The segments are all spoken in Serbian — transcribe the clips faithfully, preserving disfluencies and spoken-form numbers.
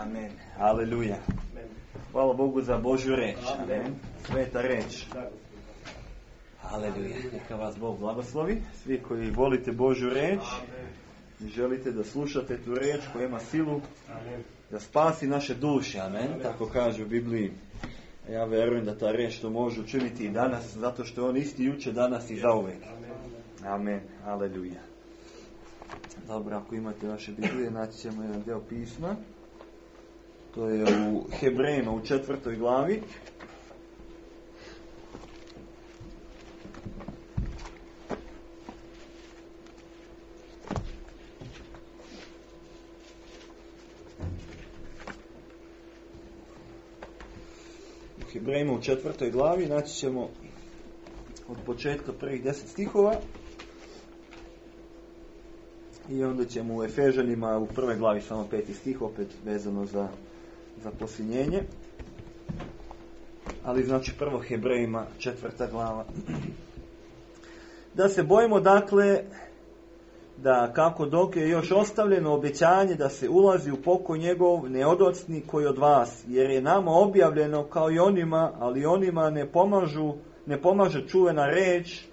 Amen. Aleluja. Hvala Bogu za Božju reč. Amen. Sveta reč. Aleluja. Neka vas Bog blagoslovi. Svi koji volite Božju reč i želite da slušate tu reč koja ima silu da spasi naše duše. Amen. Tako kaže u Bibliji. Ja verujem da ta reč to može učiniti i danas, zato što je on isti juče, danas i zauvek. Amen. Aleluja. Dobro, ako imate vaše Biblije, naći ćemo jedan deo pisma. To je u Hebrejima u četvrtoj glavi. U Hebrejima u četvrtoj glavi naći ćemo od početka prvih deset stihova. I onda ćemo u Efežanima u prvoj glavi samo peti stih, opet vezano za, za posljednjenje. Ali znači prvo Hebrejima četvrta glava. Da se bojimo dakle da kako dok je još ostavljeno obećanje da se ulazi u pokoj njegov ne odocni koji od vas, jer je nama objavljeno kao i onima, ali onima ne pomažu, ne pomaže čuvena reč,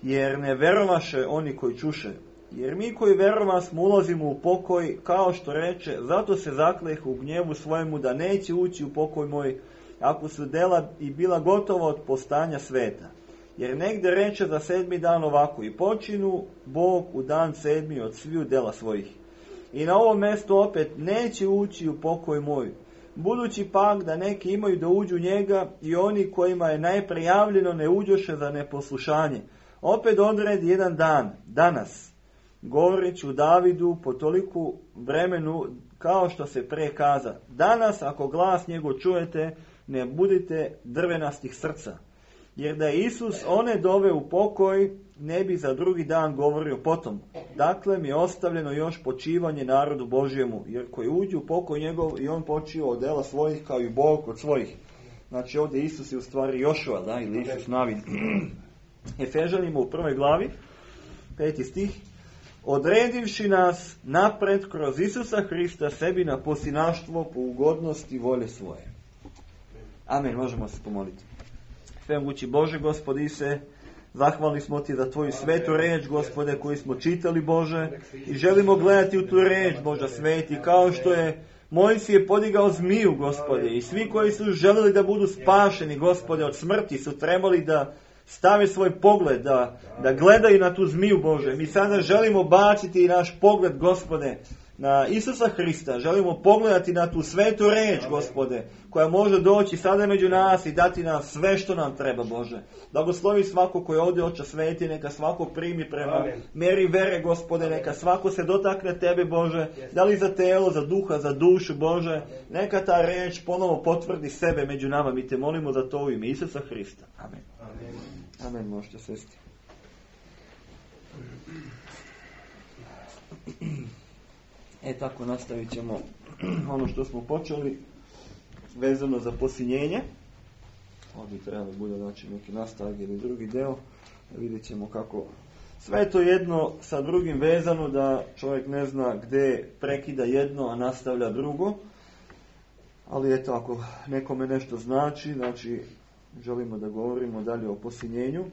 jer ne verovaše oni koji čuše. Jer mi koji verova smo ulazimo u pokoj, kao što reče, zato se zakleh u gnjevu svojemu da neće ući u pokoj moj, ako su dela i bila gotova od postanja sveta. Jer negde reče za sedmi dan ovako, i počinu Bog u dan sedmi od sviju dela svojih. I na ovom mjestu opet neće ući u pokoj moj. Budući pak da neki imaju da uđu njega i oni kojima je najprijavljeno ne uđoše za neposlušanje. Opet odredi jedan dan, danas, govoreći u Davidu po toliku vremenu kao što se pre kaza. Danas ako glas njegov čujete, ne budite drvenastih srca. Jer da je Isus one dove u pokoj, ne bi za drugi dan govorio potom. Dakle mi je ostavljeno još počivanje narodu Božjemu, jer koji uđu u pokoj njegov i on počio od dela svojih kao i Bog od svojih. Znači ovdje Isus je u stvari Jošua, da, ili Isus Navid. Efežanima u prvoj glavi, peti stih. Odredivši nas napred kroz Isusa Hrista sebi na posinaštvo po ugodnosti volje svoje. Amen, možemo se pomoliti. Svemogući Bože, Gospod Ise, zahvalni smo Ti za Tvoju svetu reč, Gospode, koju smo čitali, Bože, i želimo gledati u tu reč, Boža sveti, kao što je Mojsije podigao zmiju, Gospode, i svi koji su želeli da budu spašeni, Gospode, od smrti su trebali da stave svoj pogled, da, da gledaju na tu zmiju, Bože. Mi sada želimo baciti i naš pogled, Gospode, na Isusa Hrista. Želimo pogledati na tu svetu reč, Gospode, koja može doći sada među nas i dati nam sve što nam treba, Bože. Blagoslovi svako koji ovdje Oče sveti, neka svako primi prema Amen. Meri vere, Gospode, neka svako se dotakne Tebe, Bože, da li za telo, za duha, za dušu, Bože, neka ta reč ponovo potvrdi sebe među nama. Mi Te molimo za to u ime Isusa Hrista. Amen. Amen. Amen, možete sesti. E tako nastavit ćemo ono što smo počeli vezano za posinjenje. Ovdje treba da bude znači neki nastavak ili drugi deo. Vidjet ćemo kako sve to jedno sa drugim vezano, da čovjek ne zna gdje prekida jedno, a nastavlja drugo. Ali eto, ako nekome nešto znači, znači želimo da govorimo dalje o posinjenju.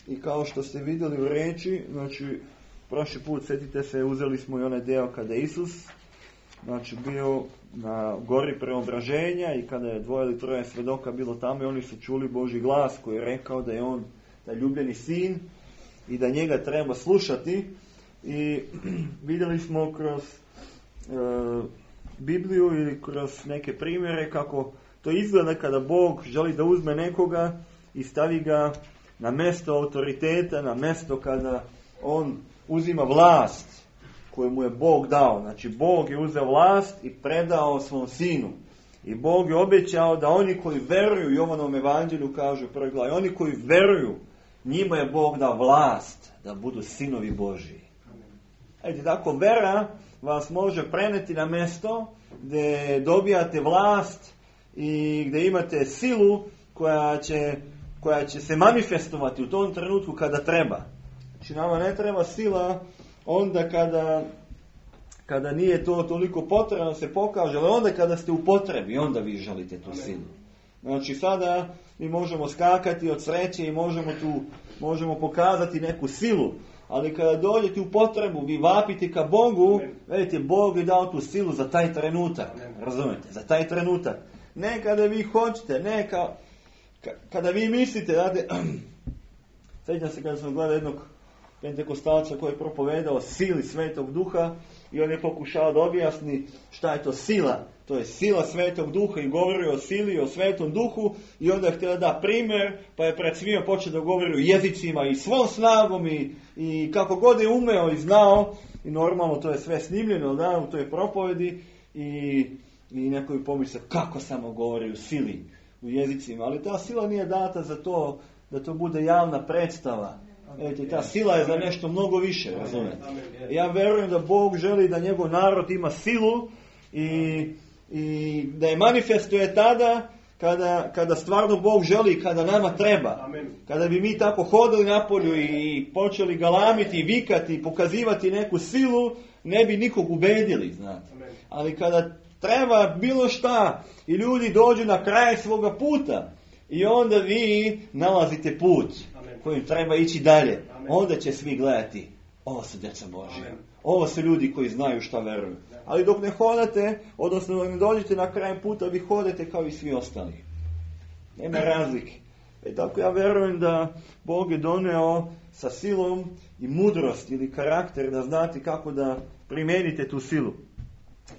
I kao što ste vidjeli u reči, znači prošli put, sjetite se, uzeli smo i onaj deo kada je Isus znači bio na gori preobraženja i kada je dvoje ili troje svedoka bilo tamo i oni su čuli Božji glas koji je rekao da je on taj ljubljeni sin i da njega treba slušati. I vidjeli smo kroz e, Bibliju ili kroz neke primjere kako to izgleda kada Bog želi da uzme nekoga i stavi ga na mjesto autoriteta, na mjesto kada on uzima vlast koju mu je Bog dao. Znači Bog je uzeo vlast i predao svom sinu. I Bog je obećao da oni koji veruju, i Jovanom evanđelju kaže u prvoj glavi, oni koji veruju, njima je Bog dao vlast da budu sinovi Božji. Ajde, tako vera vas može preneti na mjesto gdje dobijate vlast i gdje imate silu koja će, koja će se manifestovati u tom trenutku kada treba. Znači nama ne treba sila onda kada, kada nije to toliko potrebno se pokaže, ali onda kada ste u potrebi, onda vi želite tu silu. Znači sada mi možemo skakati od sreće i možemo tu možemo pokazati neku silu, ali kada dođete u potrebu, vi vapite ka Bogu, vidite, Bog je dao tu silu za taj trenutak, razumete, za taj trenutak. Ne kada vi hoćete, ne ka, ka, kada vi mislite, znate, sjećam se kada sam gledao jednog pentekostalca koji je propovedao sili Svetog Duha i on je pokušao da objasni šta je to sila. To je sila Svetog Duha i govori o sili, o Svetom Duhu i onda je htio da primjer, pa je pred svima počeo da govori o jezicima i svom snagom i, i kako god je umeo i znao i normalno to je sve snimljeno da, u toj propovedi i, i neko je pomislio kako samo govori o sili u jezicima, ali ta sila nije data za to da to bude javna predstava. Eto, ta sila je za nešto mnogo više, razumijete. Ja verujem da Bog želi da njegov narod ima silu i, i da je manifestuje tada kada, kada stvarno Bog želi, kada nama treba. Kada bi mi tako hodili napolju i počeli galamiti, vikati, pokazivati neku silu, ne bi nikog ubedili, znate. Ali kada treba bilo šta i ljudi dođu na kraj svoga puta i onda vi nalazite put kojim treba ići dalje, amen, onda će svi gledati, ovo su djeca Božja, ovo su ljudi koji znaju šta veruju. Ali dok ne hodate, odnosno ne dođete na kraj puta, vi hodate kao i svi ostali. Nema razlike. E tako ja verujem da Bog je doneo sa silom i mudrost ili karakter da znate kako da primijenite tu silu.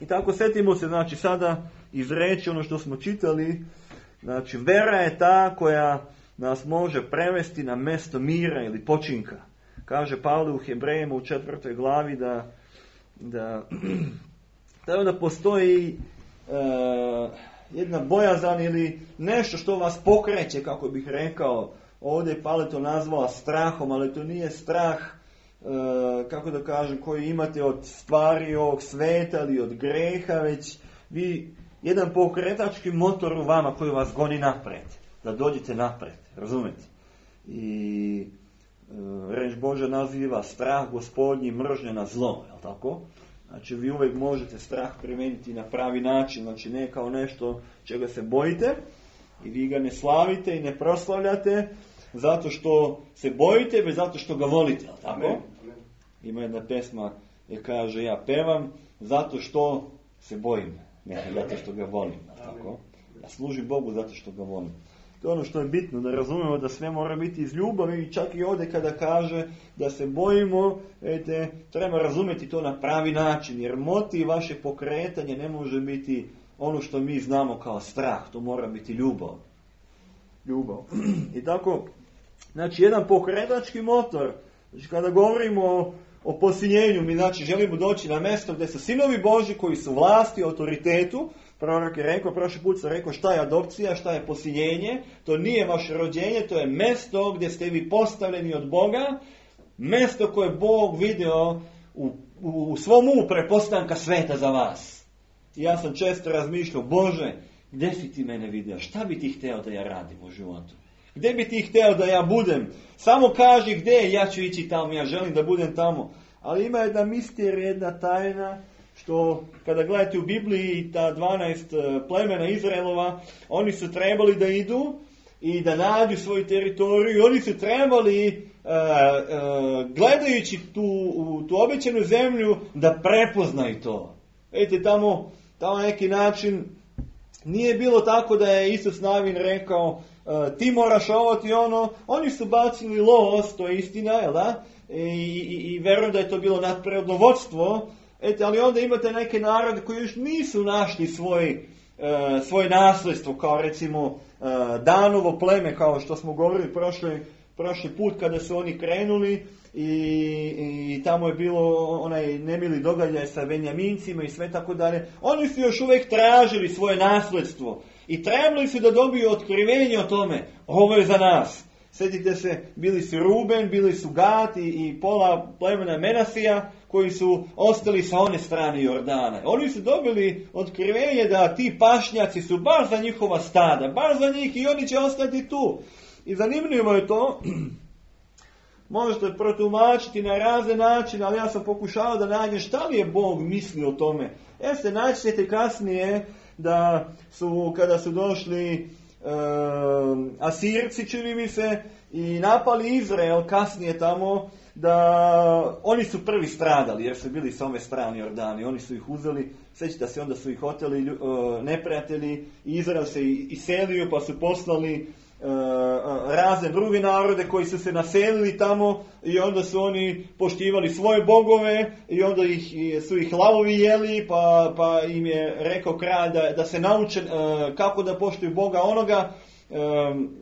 I tako setimo se, znači sada izreći ono što smo čitali, znači vera je ta koja nas može prevesti na mjesto mira ili počinka. Kaže Pavle u Hebrejima u četvrtoj glavi da da, da, da postoji e, jedna bojazan ili nešto što vas pokreće, kako bih rekao. Ovdje je Pavle to nazvao strahom, ali to nije strah, e, kako da kažem, koji imate od stvari ovog sveta ili od greha, već vi jedan pokretački motor u vama koji vas goni napred. Da dođete napred, razumete? I e, reč Božja naziva strah Gospodnji mržnja na zlo, je li tako? Znači vi uvijek možete strah primijeniti na pravi način, znači ne kao nešto čega se bojite i vi ga ne slavite i ne proslavljate zato što se bojite, već zato što ga volite, je li tako? Amen. Ima jedna pesma je kaže ja pevam zato što se bojim, ne zato što ga volim, je li tako? Ja služim Bogu zato što ga volim. To je ono što je bitno, da razumemo da sve mora biti iz ljubavi i čak i ovdje kada kaže da se bojimo, ete, treba razumjeti to na pravi način, jer motiv vaše pokretanje ne može biti ono što mi znamo kao strah, to mora biti ljubav. Ljubav. I tako, znači jedan pokretački motor, znači kada govorimo o, o posiljenju, mi znači želimo doći na mjesto gdje su sinovi Božji koji su vlasti, autoritetu. Prorok je rekao, prošli put sam rekao šta je adopcija, šta je posiljenje, to nije vaše rođenje, to je mjesto gdje ste vi postavljeni od Boga, mjesto koje Bog vidio u, u, u svom umu prepostanka sveta za vas. I ja sam često razmišljao, Bože, gdje si ti mene vidio, šta bi ti hteo da ja radim u životu? Gdje bi ti hteo da ja budem? Samo kaži gdje, ja ću ići tamo, ja želim da budem tamo. Ali ima jedna misterija, jedna tajna, što kada gledate u Bibliji ta dvanaest plemena Izraelova, oni su trebali da idu i da nađu svoju teritoriju i oni su trebali uh, uh, gledajući tu, u, tu obećanu zemlju da prepoznaju to. Vidite, tamo, tamo neki način nije bilo tako da je Isus Navin rekao uh, ti moraš ovo ti ono, oni su bacili los, to je istina, jel da? I, i, i verujem da je to bilo nadprirodno vodstvo. Ete, ali onda imate neke narode koji još nisu našli svoj, e, svoje nasljedstvo, kao recimo e, Danovo pleme, kao što smo govorili prošli, prošli put kada su oni krenuli i, i tamo je bilo onaj nemili događaj sa Benjamincima i sve tako dalje. Oni su još uvijek tražili svoje nasljedstvo i trebali su da dobiju otkrivenje o tome. Ovo je za nas. Sjetite se, bili su Ruben, bili su Gad i, i pola plemena Menasija koji su ostali sa one strane Jordana. Oni su dobili otkrivenje da ti pašnjaci su baš za njihova stada, baš za njih i oni će ostati tu. I zanimljivo je to možete protumačiti na razne načine, ali ja sam pokušao da nađem šta li je Bog mislio o tome. Jeste, naći ćete kasnije da su, kada su došli e, Asirci, čini mi se, i napali Izrael kasnije tamo, da oni su prvi stradali, jer su bili sa ove strane Jordani. Oni su ih uzeli, sjećate se, onda su ih oteli uh, neprijatelji, Izrael se iselio, pa su poslali uh, razne druge narode koji su se naselili tamo, i onda su oni poštivali svoje bogove, i onda ih, su ih lavovi jeli, pa, pa im je rekao kralj da, da se nauče uh, kako da poštuju Boga onoga, Um,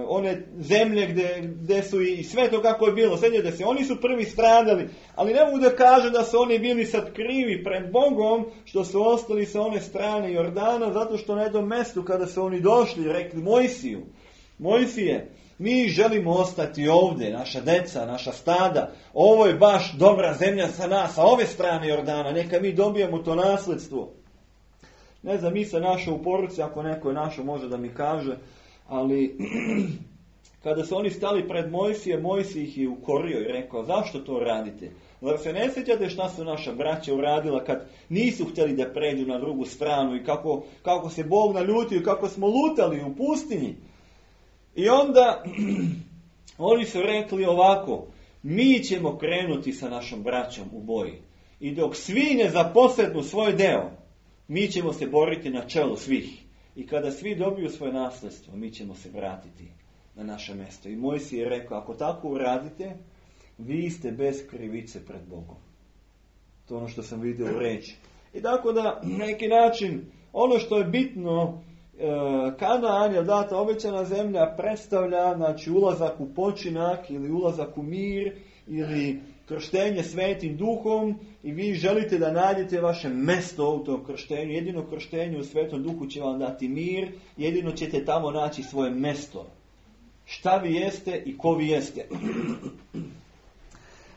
one zemlje gdje, gdje su i sve to kako je bilo, sjećate se, oni su prvi stradali, ali ne mogu da kažem da su oni bili sad krivi pred Bogom što su ostali sa one strane Jordana, zato što na jednom mjestu kada su oni došli rekli Mojsiju, Mojsije, mi želimo ostati ovdje, naša deca, naša stada, ovo je baš dobra zemlja za nas, sa ove strane Jordana, neka mi dobijemo to nasljedstvo. Ne znam, mi se našao u poruci, ako neko je našao može da mi kaže, ali kada su oni stali pred Mojsije, Mojsije ih je ukorio i rekao, zašto to radite? Zar se ne sjećate šta su naša braća uradila kad nisu htjeli da pređu na drugu stranu i kako, kako se Bog naljutio i kako smo lutali u pustinji? I onda oni su rekli ovako, mi ćemo krenuti sa našom braćom u boji. I dok svi ne zaposednu svoj deo, mi ćemo se boriti na čelu svih. I kada svi dobiju svoje nasljedstvo, mi ćemo se vratiti na naše mjesto. I Mojsije je rekao, ako tako uradite, vi ste bez krivice pred Bogom. To je ono što sam vidio u reči. I tako da, na neki način, ono što je bitno, Kanaan je data obećana zemlja, predstavlja, znači, ulazak u počinak ili ulazak u mir ili krštenje svetim duhom, i vi želite da nađete vaše mjesto u tom krštenju. Jedino krštenje u svetom duhu će vam dati mir, jedino ćete tamo naći svoje mjesto. Šta vi jeste i ko vi jeste.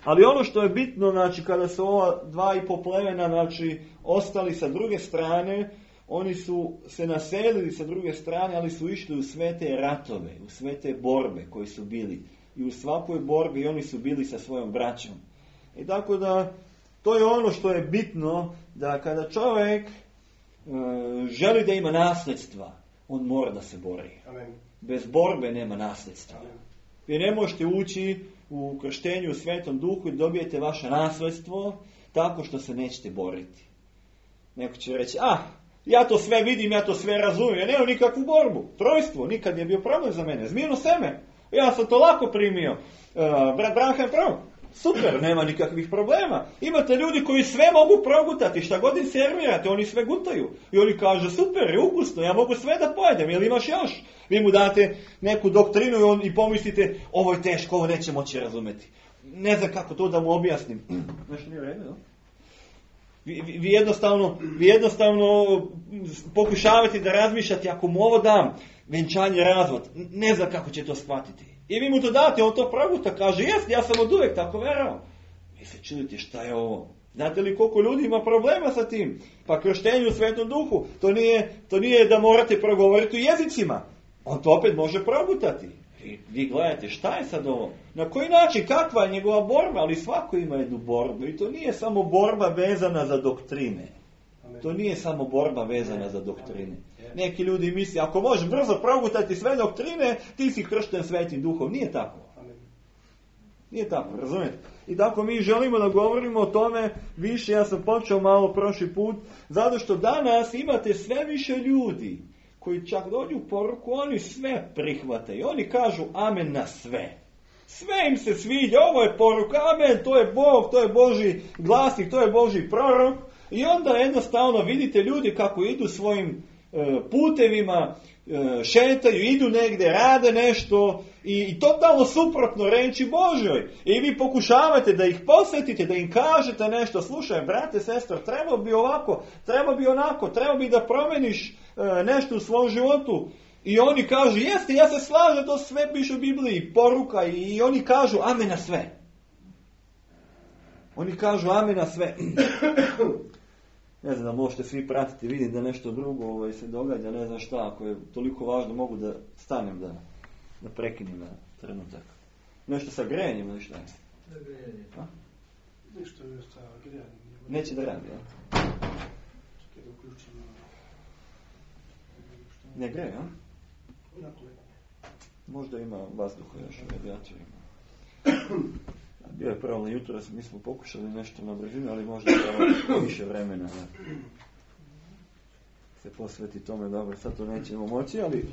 Ali ono što je bitno, znači, kada su ova dva i po plemena, znači, ostali sa druge strane, oni su se naselili sa druge strane, ali su išli u sve te ratove, u sve te borbe koji su bili. I u svakoj borbi oni su bili sa svojom braćom. I tako da, to je ono što je bitno, da kada čovjek e, želi da ima nasljedstva, on mora da se bori. Amen. Bez borbe nema nasljedstva. Amen. Vi ne možete ući u krštenju u Svetom Duhu i dobijete vaše nasljedstvo tako što se nećete boriti. Neko će reći, ah, ja to sve vidim, ja to sve razumijem, ja nemam nikakvu borbu. Trojstvo, nikad nije bio problem za mene. Zmijeno seme, ja sam to lako primio. Uh, brat Branham pravo, super, nema nikakvih problema. Imate ljudi koji sve mogu progutati, šta god im servirate, oni sve gutaju. I oni kažu, super, je ukusno, ja mogu sve da pojedem, jel imaš još? Vi mu date neku doktrinu i, on, i pomislite, ovo je teško, ovo neće moći razumeti. Ne znam kako to da mu objasnim. Nešto nije redno, no? Vi, vi, vi, jednostavno, vi jednostavno pokušavate da razmišljate, ako mu ovo dam, venčanje, razvod, ne znam kako će to shvatiti. I vi mu to date, on to proguta, kaže, jes, ja sam od uvijek tako verao. Vi se čudite, šta je ovo? Znate li koliko ljudi ima problema sa tim? Pa krštenje u Svetom Duhu, to nije, to nije da morate progovoriti u jezicima. On to opet može progutati. I vi gledate, šta je sad ovo? Na koji način, kakva je njegova borba? Ali svako ima jednu borbu. I to nije samo borba vezana za doktrine. To nije samo borba vezana za doktrine. Neki ljudi misle, ako možeš brzo progutati sve doktrine, ti si kršten Svetim Duhom. Nije tako. Nije tako, razumijete? I tako mi želimo da govorimo o tome više. Ja sam počeo malo prošli put, zato što danas imate sve više ljudi koji čak dođu u poruku, oni sve prihvataju. Oni kažu amen na sve. Sve im se sviđa, ovo je poruka, amen, to je Bog, to je Božji glasnik, to je Božji prorok. I onda jednostavno vidite ljudi kako idu svojim e, putevima, e, šetaju, idu negdje, rade nešto i, i totalno suprotno reči Božjoj. I vi pokušavate da ih posjetite, da im kažete nešto, slušaj, brate, sestro, treba bi ovako, treba bi onako, treba bi da promeniš e, nešto u svom životu. I oni kažu, jeste, ja se slažem, to sve piše u Bibliji, poruka, i, i oni kažu amen na sve. Oni kažu amen na sve. Ne znam da možete svi pratiti, vidim da nešto drugo ovaj, se događa, ne znam šta, ako je toliko važno mogu da stanem, da, da prekinem na trenutak. Nešto sa grejanjem ili šta je? Da grijanje. A? Nešto je sa grijanjem. Neće da radi, ja? Čekaj da uključimo. Ne greje, a? Onako je. Možda ima vazduha još u radijatorima. Bio je pravo na jutro, mi smo pokušali nešto na brzinu, ali možda je više vremena da se posveti tome. Dobro, sad to nećemo moći, ali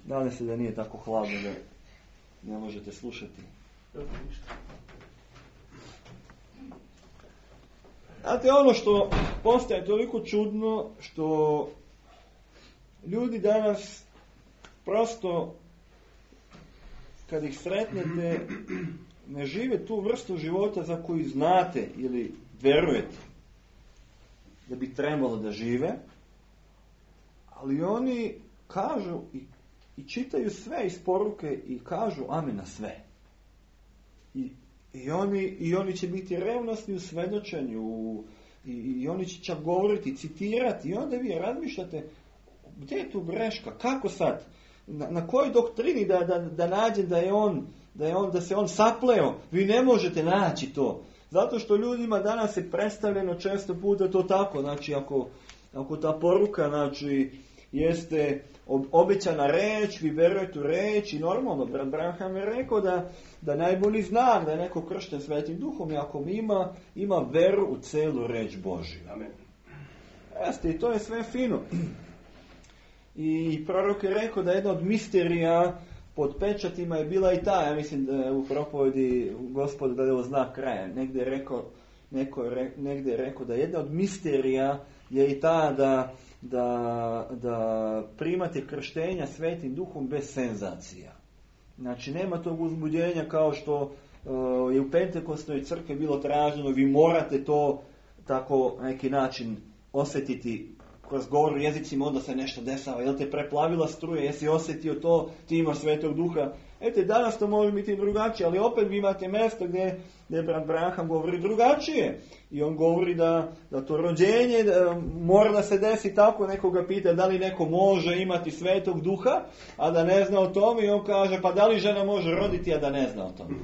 nadam se da nije tako hladno da ne možete slušati. Znate, ono što postaje toliko čudno, što ljudi danas prosto, kad ih sretnete, ne žive tu vrstu života za koju znate ili verujete da bi trebalo da žive, ali oni kažu i, i čitaju sve iz poruke i kažu amen na sve. I, i, oni, i oni će biti revnosni u svedočenju i, i oni će čak govoriti, citirati i onda vi razmišljate gdje je tu greška, kako sad, na, na kojoj doktrini da, da, da nađem da je on Da, je on, da se on sapleo, vi ne možete naći to. Zato što ljudima danas je predstavljeno često puta to tako. Znači, ako, ako ta poruka, znači, jeste obećana reč, vi verujete u reč i normalno, brat Branham je rekao da, da najbolji znak da je neko kršten Svetim Duhom i ako ima, ima veru u celu reč Božju. Amen. Jeste, i to je sve fino. I prorok je rekao da jedna od misterija pod pečatima je bila i ta, ja mislim da je u propovedi Gospod da je ovo znak kraja. Negdje je rekao, neko je, negdje je rekao da jedna od misterija je i ta da, da, da primate krštenja Svetim Duhom bez senzacija. Znači nema tog uzbuđenja kao što uh, je u Pentekostnoj crkvi bilo traženo, vi morate to tako na neki način osjetiti kroz govor u jezicima, onda se nešto dešava, jel te preplavila struja, jesi osjetio to, ti imaš Svetog Duha. Ete, danas to može biti drugačije, ali opet vi imate mjesto gdje, gdje brat Branham govori drugačije. I on govori da, da to rođenje da, mora da se desi tako, nekoga pita da li neko može imati Svetog Duha, a da ne zna o tome, i on kaže, pa da li žena može roditi, a da ne zna o tome.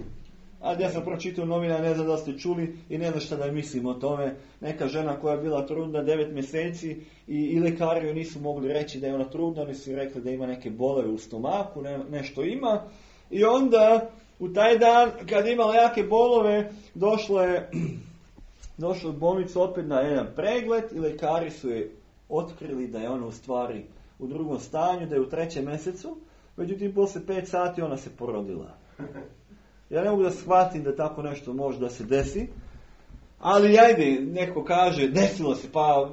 A ja sam pročitao novina, ne znam da ste čuli i ne znam šta da mislim o tome. Neka žena koja je bila trudna devet mjeseci i, i lekari joj nisu mogli reći da je ona trudna, oni su rekli da ima neke bolove u stomaku, ne, nešto ima. I onda u taj dan kad je imala jake bolove, došlo je, došlo u bolnicu opet na jedan pregled i lekari su je otkrili da je ona u stvari u drugom stanju, da je u trećem mjesecu. Međutim, poslije pet sati ona se porodila. Ja ne mogu da shvatim da tako nešto može da se desi, ali ajde, neko kaže, desilo se, pa,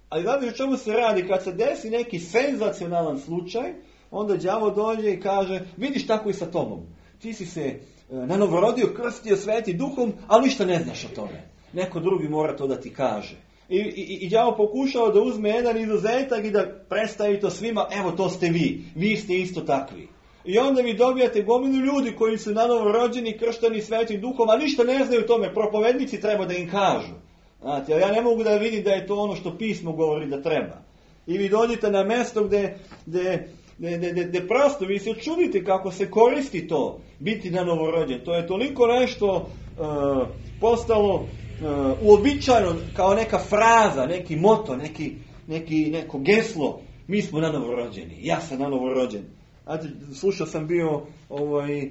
ali znate o čemu se radi, kad se desi neki senzacionalan slučaj, onda đavo dođe i kaže, vidiš tako i sa tobom, ti si se e, nanovorodio, krstio Svetim Duhom, ali ništa ne znaš o tome, neko drugi mora to da ti kaže. I, i, i đavo pokušao da uzme jedan izuzetak i da predstavi to svima, evo to ste vi, vi ste isto takvi. I onda vi dobijate gomilu ljudi koji su nanovo rođeni, kršteni Svetim Duhom, a ništa ne znaju o tome. Propovednici treba da im kažu. Znate, ja ne mogu da vidim da je to ono što pismo govori da treba. I vi dođete na mjesto gdje, gdje, gdje, gdje, gdje prosto vi se čudite kako se koristi to, biti nanovo rođen. To je toliko nešto uh, postalo uh, uobičajeno kao neka fraza, neki moto, neki, neki, neko geslo. Mi smo nanovo rođeni, ja sam nanovo rođen. Znate, slušao sam bio ovaj, e,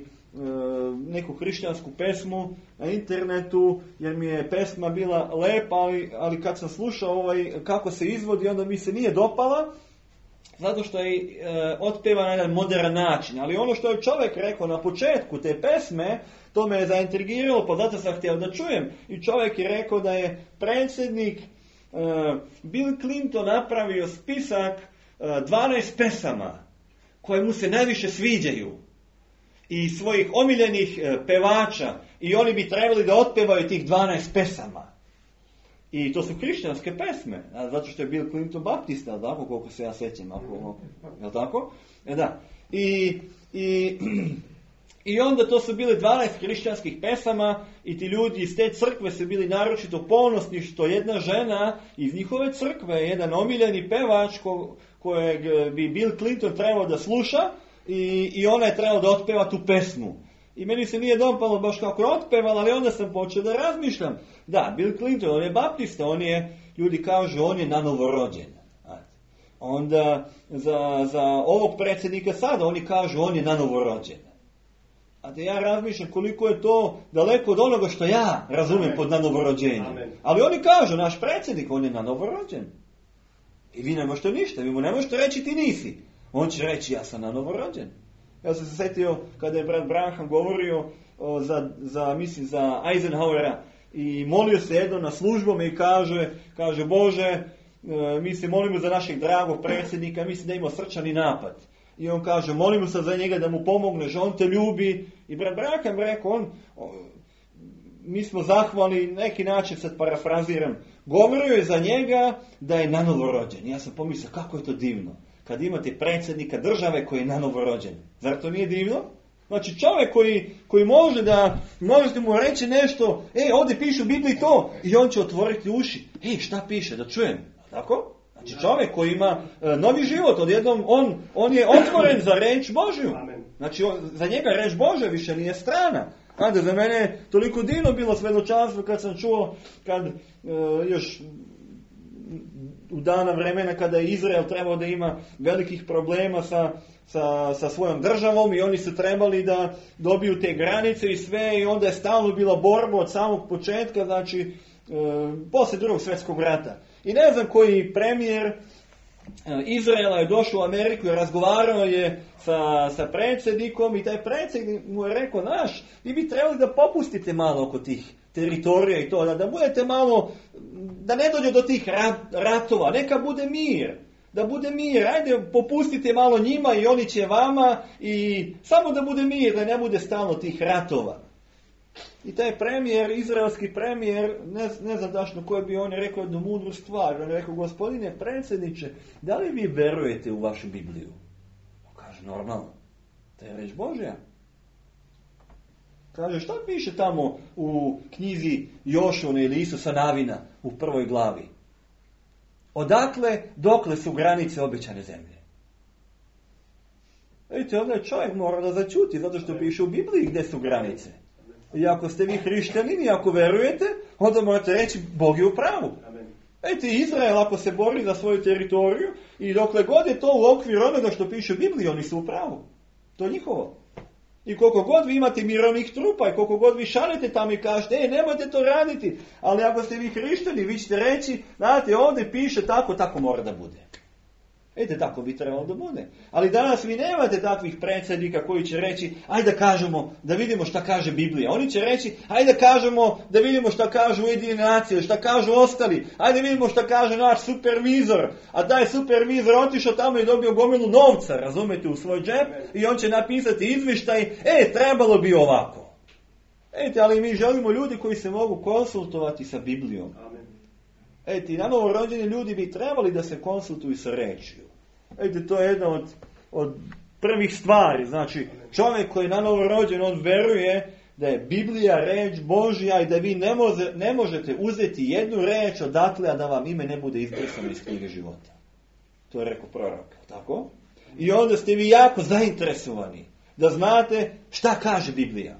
neku hrišćansku pesmu na internetu, jer mi je pesma bila lepa, ali, ali kad sam slušao ovaj, kako se izvodi, onda mi se nije dopala, zato što je e, otpeva na jedan modern način. Ali ono što je čovjek rekao na početku te pesme, to me je zaintrigiralo, pa zato sam htio da čujem. I čovjek je rekao da je predsjednik e, Bill Clinton napravio spisak e, dvanaest pesama koje mu se najviše sviđaju i svojih omiljenih e, pevača i oni bi trebali da otpevaju tih dvanaest pesama. I to su hrišćanske pesme, a, zato što je Bill Clinton baptista, tako koliko se ja sećam, ako, je li tako? E, da. I, i, I onda to su bile dvanaest hrišćanskih pesama i ti ljudi iz te crkve su bili naročito ponosni što jedna žena iz njihove crkve, jedan omiljeni pevač ko, kojeg bi Bill Clinton trebao da sluša i, i ona je trebala da otpeva tu pesmu. I meni se nije dopalo baš kako je otpevala, ali onda sam počeo da razmišljam. Da, Bill Clinton, on je baptista, on je, ljudi kažu, on je nanovorođen. Onda za, za ovog predsjednika sada, oni kažu, on je nanovorođen. A da ja razmišljam koliko je to daleko od onoga što ja razumem pod nanovorođenjem. Ali oni kažu, naš predsjednik, on je nanovorođen. I vi ne možete ništa, vi mu ne možete reći ti nisi. On će reći, ja sam nanovorođen. Ja sam se sjetio kada je brat Branham govorio o, za, za, mislim, za Eisenhowera i molio se jedno na službom i kaže, kaže Bože, e, mi se molimo za našeg dragog predsjednika, mislim da ima srčani napad. I on kaže, molimo se za njega da mu pomogneš, on te ljubi. I brat Branham rekao, on, on, mi smo zahvalni, neki način sad parafraziram, govorio je za njega da je nanovorođen. Ja sam pomislio, kako je to divno. Kad imate predsjednika države koji je nanovorođen. Zar to nije divno? Znači čovjek koji, koji može da, možete mu reći nešto, e, ovdje piše u Bibliji to, i on će otvoriti uši. E, šta piše, da čujem. Tako? Znači čovjek koji ima e, novi život, odjednom on, on je otvoren za reč Božju. Znači on, za njega reč Božja više nije strana. Kada za mene toliko divno bilo svedočanstvo kad sam čuo, kad e, još u dana vremena kada je Izrael trebao da ima velikih problema sa, sa, sa svojom državom i oni su trebali da dobiju te granice i sve, i onda je stalno bila borba od samog početka, znači e, poslije drugog svjetskog rata. I ne znam koji premijer Izraela je došao u Ameriku i razgovarao je sa, sa predsjednikom i taj predsjednik mu je rekao, naš, vi bi trebali da popustite malo oko tih teritorija i to, da, da budete malo, da ne dođe do tih rat, ratova, neka bude mir, da bude mir, ajde popustite malo njima i oni će vama i samo da bude mir, da ne bude stalno tih ratova. I taj premijer, izraelski premijer, ne, ne znam dašno koji bi on rekao jednu mudru stvar. On je rekao, gospodine predsjedniče, da li vi verujete u vašu Bibliju? On kaže, normalno. To je reč Božja. Kaže, šta piše tamo u knjizi Jošune ili Isusa Navina u prvoj glavi? Odakle, dokle su granice obećane zemlje? Vidite, onda čovjek mora da začuti, zato što piše u Bibliji gdje su granice. I ako ste vi hrišćanini i ako verujete, onda morate reći, Bog je u pravu. Vidite, Izrael ako se bori za svoju teritoriju i dokle god je to u okviru onoga što piše u Bibliji, oni su u pravu. To je njihovo. I koliko god vi imate mirovnih trupa i koliko god vi šalite tamo i kažete, e, nemojte to raditi, ali ako ste vi hrišćani, vi ćete reći, znate, ovdje piše tako, tako mora da bude. Vidite, tako bi trebalo da bude. Ali danas vi nemate takvih predsjednika koji će reći, ajde da kažemo, da vidimo šta kaže Biblija. Oni će reći, ajde da kažemo, da vidimo šta kažu Ujedinjene nacije, šta kažu ostali, ajde da vidimo šta kaže naš supervizor. A taj supervizor otišao tamo i dobio gomilu novca, razumete, u svoj džep, i on će napisati izvještaj, e, trebalo bi ovako. Vidite, ali mi želimo ljudi koji se mogu konsultovati sa Biblijom. Eti, na novorođeni ljudi bi trebali da se konsultuju sa rečju. Eti, to je jedna od, od prvih stvari. Znači, čovjek koji je na novorođen, on veruje da je Biblija reč Božja i da vi ne, može, ne možete uzeti jednu reč odatle, a da vam ime ne bude izbrisano iz knjige života. To je rekao prorok. Tako? I onda ste vi jako zainteresovani da znate šta kaže Biblija.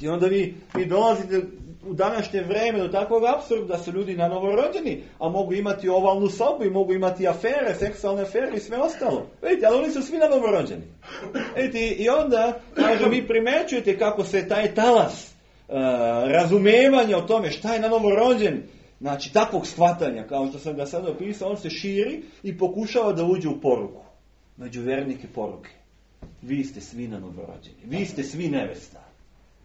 I onda vi, vi dolazite u današnje vrijeme do takvog apsurda da su ljudi na novorođeni, a mogu imati ovalnu sobu i mogu imati afere, seksualne afere i sve ostalo. Vidite, ali oni su svi na novorođeni. Vidite, i onda, kaže, vi primećujete kako se taj talas uh, razumevanja o tome šta je na novorođen, znači takvog shvatanja, kao što sam ga sad opisao, on se širi i pokušava da uđe u poruku. Među vernike poruke. Vi ste svi na novorođeni. Vi ste svi nevesta.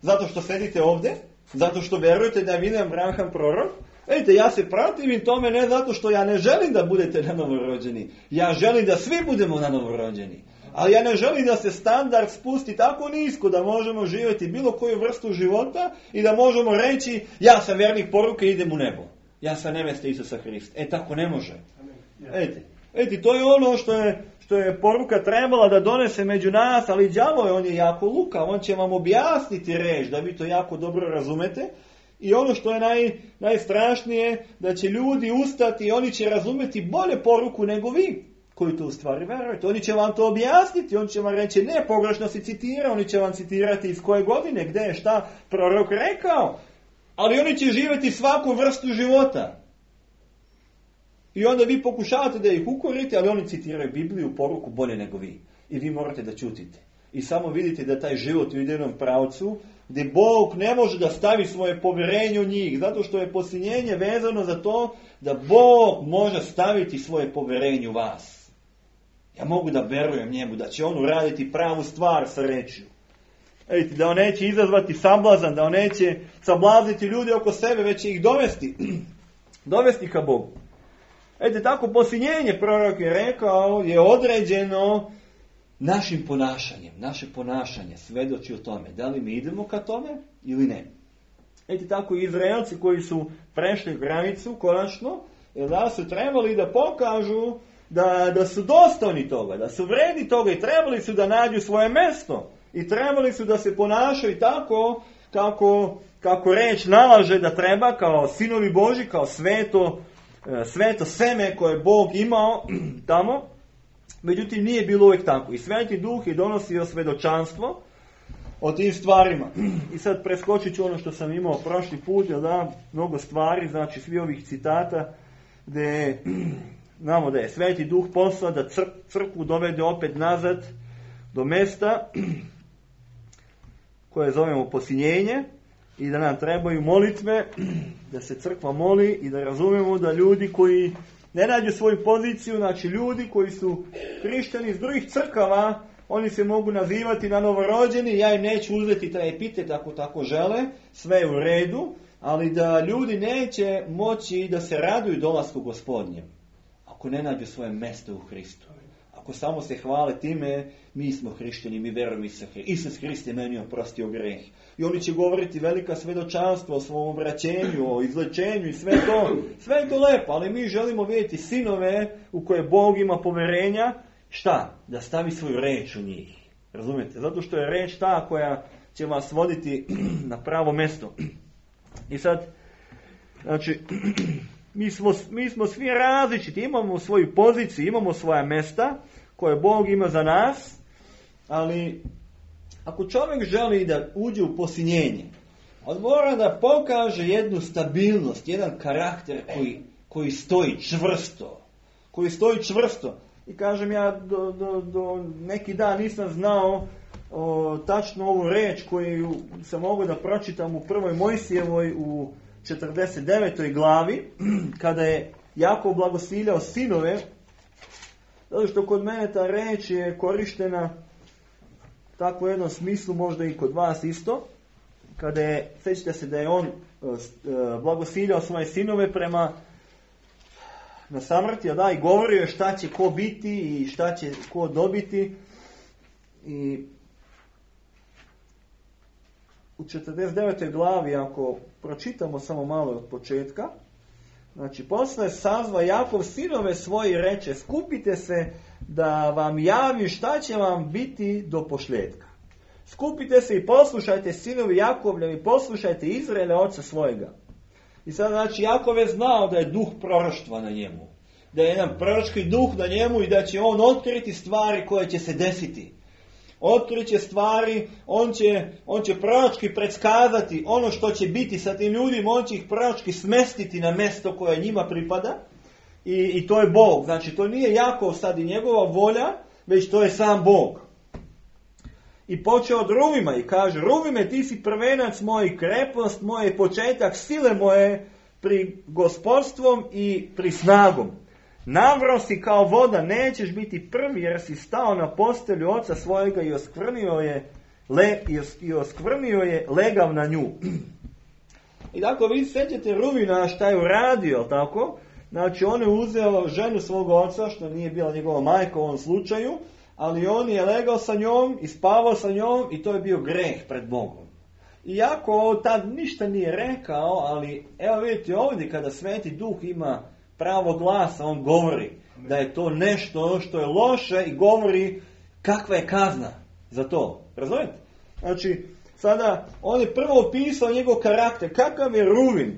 Zato što sedite ovdje, zato što verujete da je William Branham prorok. Vidite, ja se protivim tome ne zato što ja ne želim da budete na novorođeni. Ja želim da svi budemo na novorođeni. Ali ja ne želim da se standard spusti tako nisko da možemo živjeti bilo koju vrstu života i da možemo reći, ja sam vernik poruke i idem u nebo. Ja sam nevesta Isusa Hrista. E, tako ne može. Vidite, vidite, to je ono što je što je poruka trebala da donese među nas, ali đavo je, on je jako lukav, on će vam objasniti reč, da vi to jako dobro razumete. I ono što je naj, najstrašnije, da će ljudi ustati i oni će razumeti bolje poruku nego vi. koji to u stvari verujete. Oni će vam to objasniti, oni će vam reći, ne, pogrešno si citirao, oni će vam citirati iz koje godine, gdje je šta prorok rekao, ali oni će živjeti svaku vrstu života. I onda vi pokušavate da ih ukorite, ali oni citiraju Bibliju, poruku bolje nego vi. I vi morate da ćutite. I samo vidite da taj život u jednom pravcu, gdje Bog ne može da stavi svoje povjerenje u njih, zato što je posljednjenje vezano za to da Bog može staviti svoje povjerenje u vas. Ja mogu da verujem njemu, da će on uraditi pravu stvar sa rečju. Vidite, da on neće izazvati sablazan, da on neće sablazniti ljude oko sebe, već će ih dovesti, dovesti ka Bogu. Vidite, tako posljednjenje prorok je rekao, je određeno našim ponašanjem. Naše ponašanje svedoči o tome. Da li mi idemo ka tome ili ne? Vidite, tako Izraelci koji su prešli granicu konačno, da su trebali da pokažu da, da su dostojni toga, da su vredni toga i trebali su da nađu svoje mjesto. I trebali su da se ponašaju tako kako, kako reč nalaže da treba, kao sinovi Božji, kao sveto, sveto seme koje je Bog imao tamo. Međutim, nije bilo uvijek tako. I Sveti Duh je donosio svedočanstvo o tim stvarima. I sad preskočit ću ono što sam imao prošli put, jer da, mnogo stvari, znači svi ovih citata, gdje znamo da je Sveti Duh poslao da cr- crkvu dovede opet nazad do mjesta koje zovemo posiljenje i da nam trebaju molitve, da se crkva moli i da razumemo da ljudi koji ne nađu svoju poziciju, znači ljudi koji su hrišćani iz drugih crkava, oni se mogu nazivati na novorođeni, ja im neću uzeti taj epitet ako tako žele, sve je u redu, ali da ljudi neće moći da se raduju dolasku Gospodnjem, ako ne nađu svoje mjesto u Hristu. Ako samo se hvale time, mi smo hrišćani, mi verujemo Isus Hrist. Isus Hrist je meni oprostio greh. I oni će govoriti velika svedočanstva o svom obraćenju, o izlečenju i sve to. Sve je to lepo, ali mi želimo vidjeti sinove u koje Bog ima povjerenja. Šta? Da stavi svoju reč u njih. Razumijete? Zato što je reč ta koja će vas voditi na pravo mjesto. I sad, znači, mi smo, mi smo svi različiti, imamo svoju poziciju, imamo svoja mjesta koje Bog ima za nas, ali ako čovjek želi da uđe u posiljenje, on mora da pokaže jednu stabilnost, jedan karakter koji, koji stoji čvrsto, koji stoji čvrsto. I kažem, ja do, do, do neki dan nisam znao o, tačno ovu reč koju sam mogao da pročitam u prvoj Mojsijevoj u četrdeset devetoj glavi, kada je Jakov blagosiljao sinove, zato što kod mene ta reč je korištena tako u jednom smislu, možda i kod vas isto, kada je, sjećate se da je on blagosiljao svoje sinove prema na samrti, a da, i govorio je šta će ko biti i šta će ko dobiti. I u četrdeset devetoj glavi, ako pročitamo samo malo od početka, znači, posle sazva Jakov sinove svoje i reče, skupite se da vam javim šta će vam biti do pošljetka. Skupite se i poslušajte sinovi Jakovljevi, poslušajte Izraele oca svojega. I sad, znači, Jakov je znao da je duh proroštva na njemu. Da je jedan proročki duh na njemu i da će on otkriti stvari koje će se desiti. Otkrit će stvari, on će, on će proročki predskazati ono što će biti sa tim ljudima, on će ih proročki smestiti na mjesto koje njima pripada. I, i to je Bog. Znači, to nije Jakov sad i njegova volja, već to je sam Bog. I počeo od Ruvima i kaže, Ruvime, ti si prvenac moj, krepost moje, početak sile moje pri gospodstvom i pri snagom. Navro si kao voda, nećeš biti prvi jer si stao na postelju oca svojega i oskvrnio je, le, i oskvrnio je legav na nju. I tako vi sjećate Ruvina šta je uradio, tako? Znači on je uzeo ženu svog oca, što nije bila njegova majka u ovom slučaju, ali on je legao sa njom i spavao sa njom i to je bio greh pred Bogom. Iako tad ništa nije rekao, ali evo vidite ovdje kada Sveti Duh ima pravo glasa, on govori da je to nešto što je loše i govori kakva je kazna za to. Razumijete? Znači, sada on je prvo opisao njegov karakter. Kakav je Ruvin?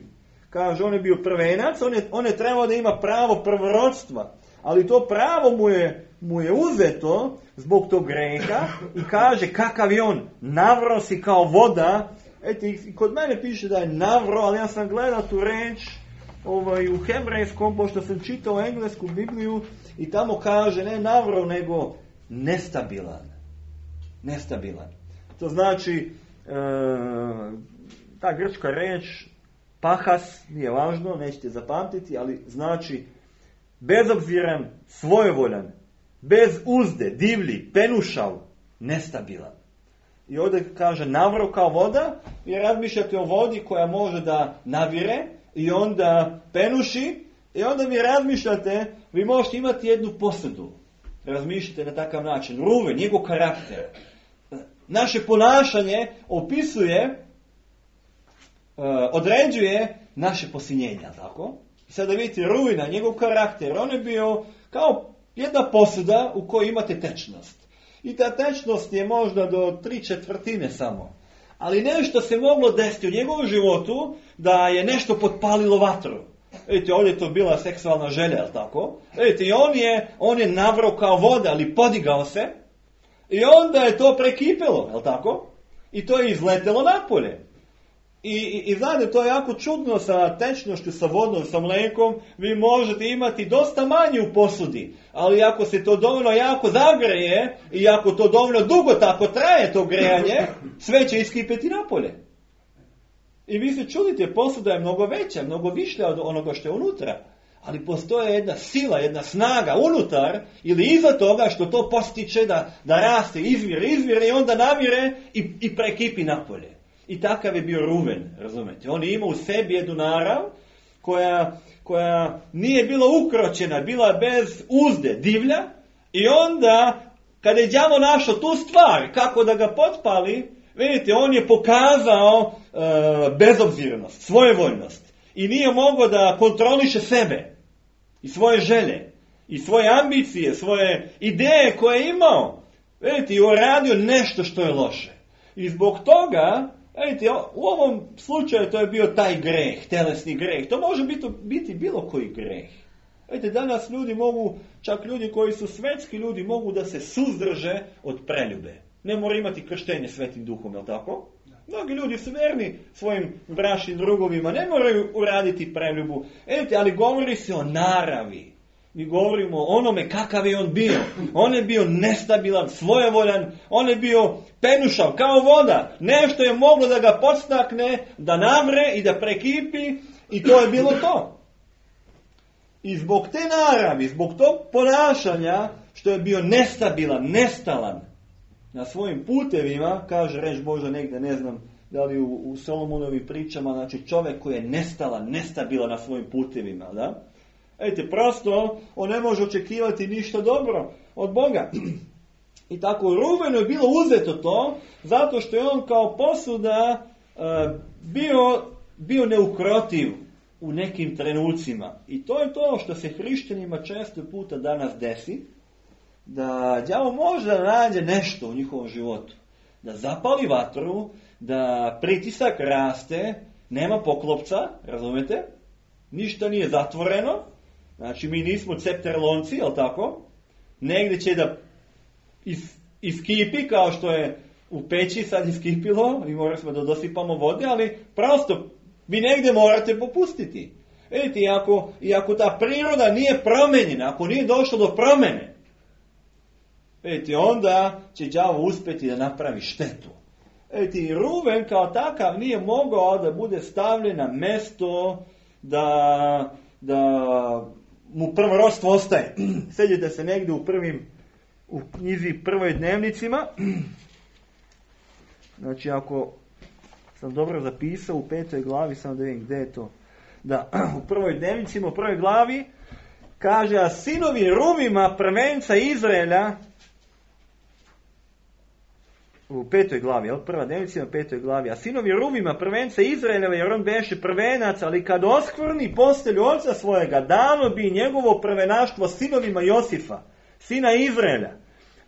Kaže, on je bio prvenac, on je, on je trebao da ima pravo prvorodstva. ali to pravo mu je, mu je uzeto zbog tog greha i kaže kakav je on, navro si kao voda. Eto, i kod mene piše da je navro, ali ja sam gledao tu reč ovaj, u hebrejskom, pošto sam čitao englesku Bibliju i tamo kaže ne navro, nego nestabilan. Nestabilan. To znači, e, ta grčka reč, pahas, nije važno, nećete zapamtiti, ali znači bezobziran, svojevoljan, bez uzde, divlji, penušav, nestabilan. I ovdje kaže navro kao voda, i razmišljate o vodi koja može da navire i onda penuši, i onda vi razmišljate, vi možete imati jednu posudu. Razmišljate na takav način. Ruven, njegov karakter. Naše ponašanje opisuje, određuje naše posinjenja, tako? I sada vidite Ruvena, njegov karakter, on je bio kao jedna posuda u kojoj imate tečnost. I ta tečnost je možda do tri četvrtine samo. Ali nešto se moglo desiti u njegovom životu da je nešto potpalilo vatru. Vidite, ovdje je to bila seksualna želja, jel tako? Vidite, i on je, on je navrao kao voda, ali podigao se. I onda je to prekipelo, jel tako? I to je izletelo napolje. I, i, i znate, to je jako čudno sa tečnošću, sa vodom, sa mlekom. Vi možete imati dosta manje u posudi. Ali ako se to dovoljno jako zagreje i ako to dovoljno dugo tako traje to grejanje, sve će iskipeti napolje. I vi se čudite, posuda je mnogo veća, mnogo višlja od onoga što je unutra. Ali postoje jedna sila, jedna snaga unutar ili iza toga što to postiče da, da raste, izvire, izvire i onda navire i, i prekipi napolje. I takav je bio Ruven, razumete. On je imao u sebi jednu narav koja, koja nije bila ukročena, bila bez uzde, divlja. I onda, kada je đavo našao tu stvar, kako da ga potpali, vidite, on je pokazao e, bezobzirnost, svojevoljnost. I nije mogao da kontroliše sebe i svoje želje i svoje ambicije, svoje ideje koje je imao. Vidite, i uradio nešto što je loše. I zbog toga, vidite, u ovom slučaju to je bio taj greh, telesni greh. To može biti, biti bilo koji greh. Vidite, danas ljudi mogu, čak ljudi koji su svetski ljudi, mogu da se suzdrže od preljube. Ne mora imati krštenje Svetim Duhom, je li tako? Mnogi ljudi su verni svojim bračnim drugovima, ne moraju uraditi preljubu. Vidite, ali govori se o naravi. Mi govorimo o onome kakav je on bio. On je bio nestabilan, svojevoljan, on je bio penušav, kao voda. Nešto je moglo da ga podstakne, da navre i da prekipi i to je bilo to. I zbog te naravi, zbog tog ponašanja, što je bio nestabilan, nestalan na svojim putevima, kaže reč Božja negdje, ne znam da li u, u Solomonovim pričama, znači čovjek koji je nestalan, nestabilan na svojim putevima, da? Ejte, prosto, on ne može očekivati ništa dobro od Boga. I tako Ruvenu je bilo uzeto to, zato što je on kao posuda uh, bio, bio neukrotiv u nekim trenucima. I to je to što se hrišćanima često puta danas desi, da đavo može da nađe nešto u njihovom životu. Da zapali vatru, da pritisak raste, nema poklopca, razumete? Ništa nije zatvoreno. Znači, mi nismo cepterlonci, jel tako? Negdje će da is, iskipi, kao što je u peći sad iskipilo, i morali smo da dosipamo vode, ali prosto, vi negdje morate popustiti. Vidite, i ako, i ako ta priroda nije promenjena, ako nije došlo do promene, vidite, onda će đavo uspjeti da napravi štetu. Vidite, i Ruven kao takav nije mogao da bude stavljen na mesto da, da mu prvorodstvo ostaje. Sjedite se negdje u prvim, u knjizi Prvoj dnevnicima. Znači, ako sam dobro zapisao, u petoj glavi, samo da vidim gdje je to. Da, u Prvoj dnevnicima, u prvoj glavi, kaže, a sinovi Ruvima, prvenca Izraela, u petoj glavi, jel? Prva dnevnica na petoj glavi. A sinovi Ruvima, prvenca Izraeleva, jer on beše prvenac, ali kad oskvrni postelju oca svojega, dano bi njegovo prvenaštvo sinovima Josifa, sina Izraela.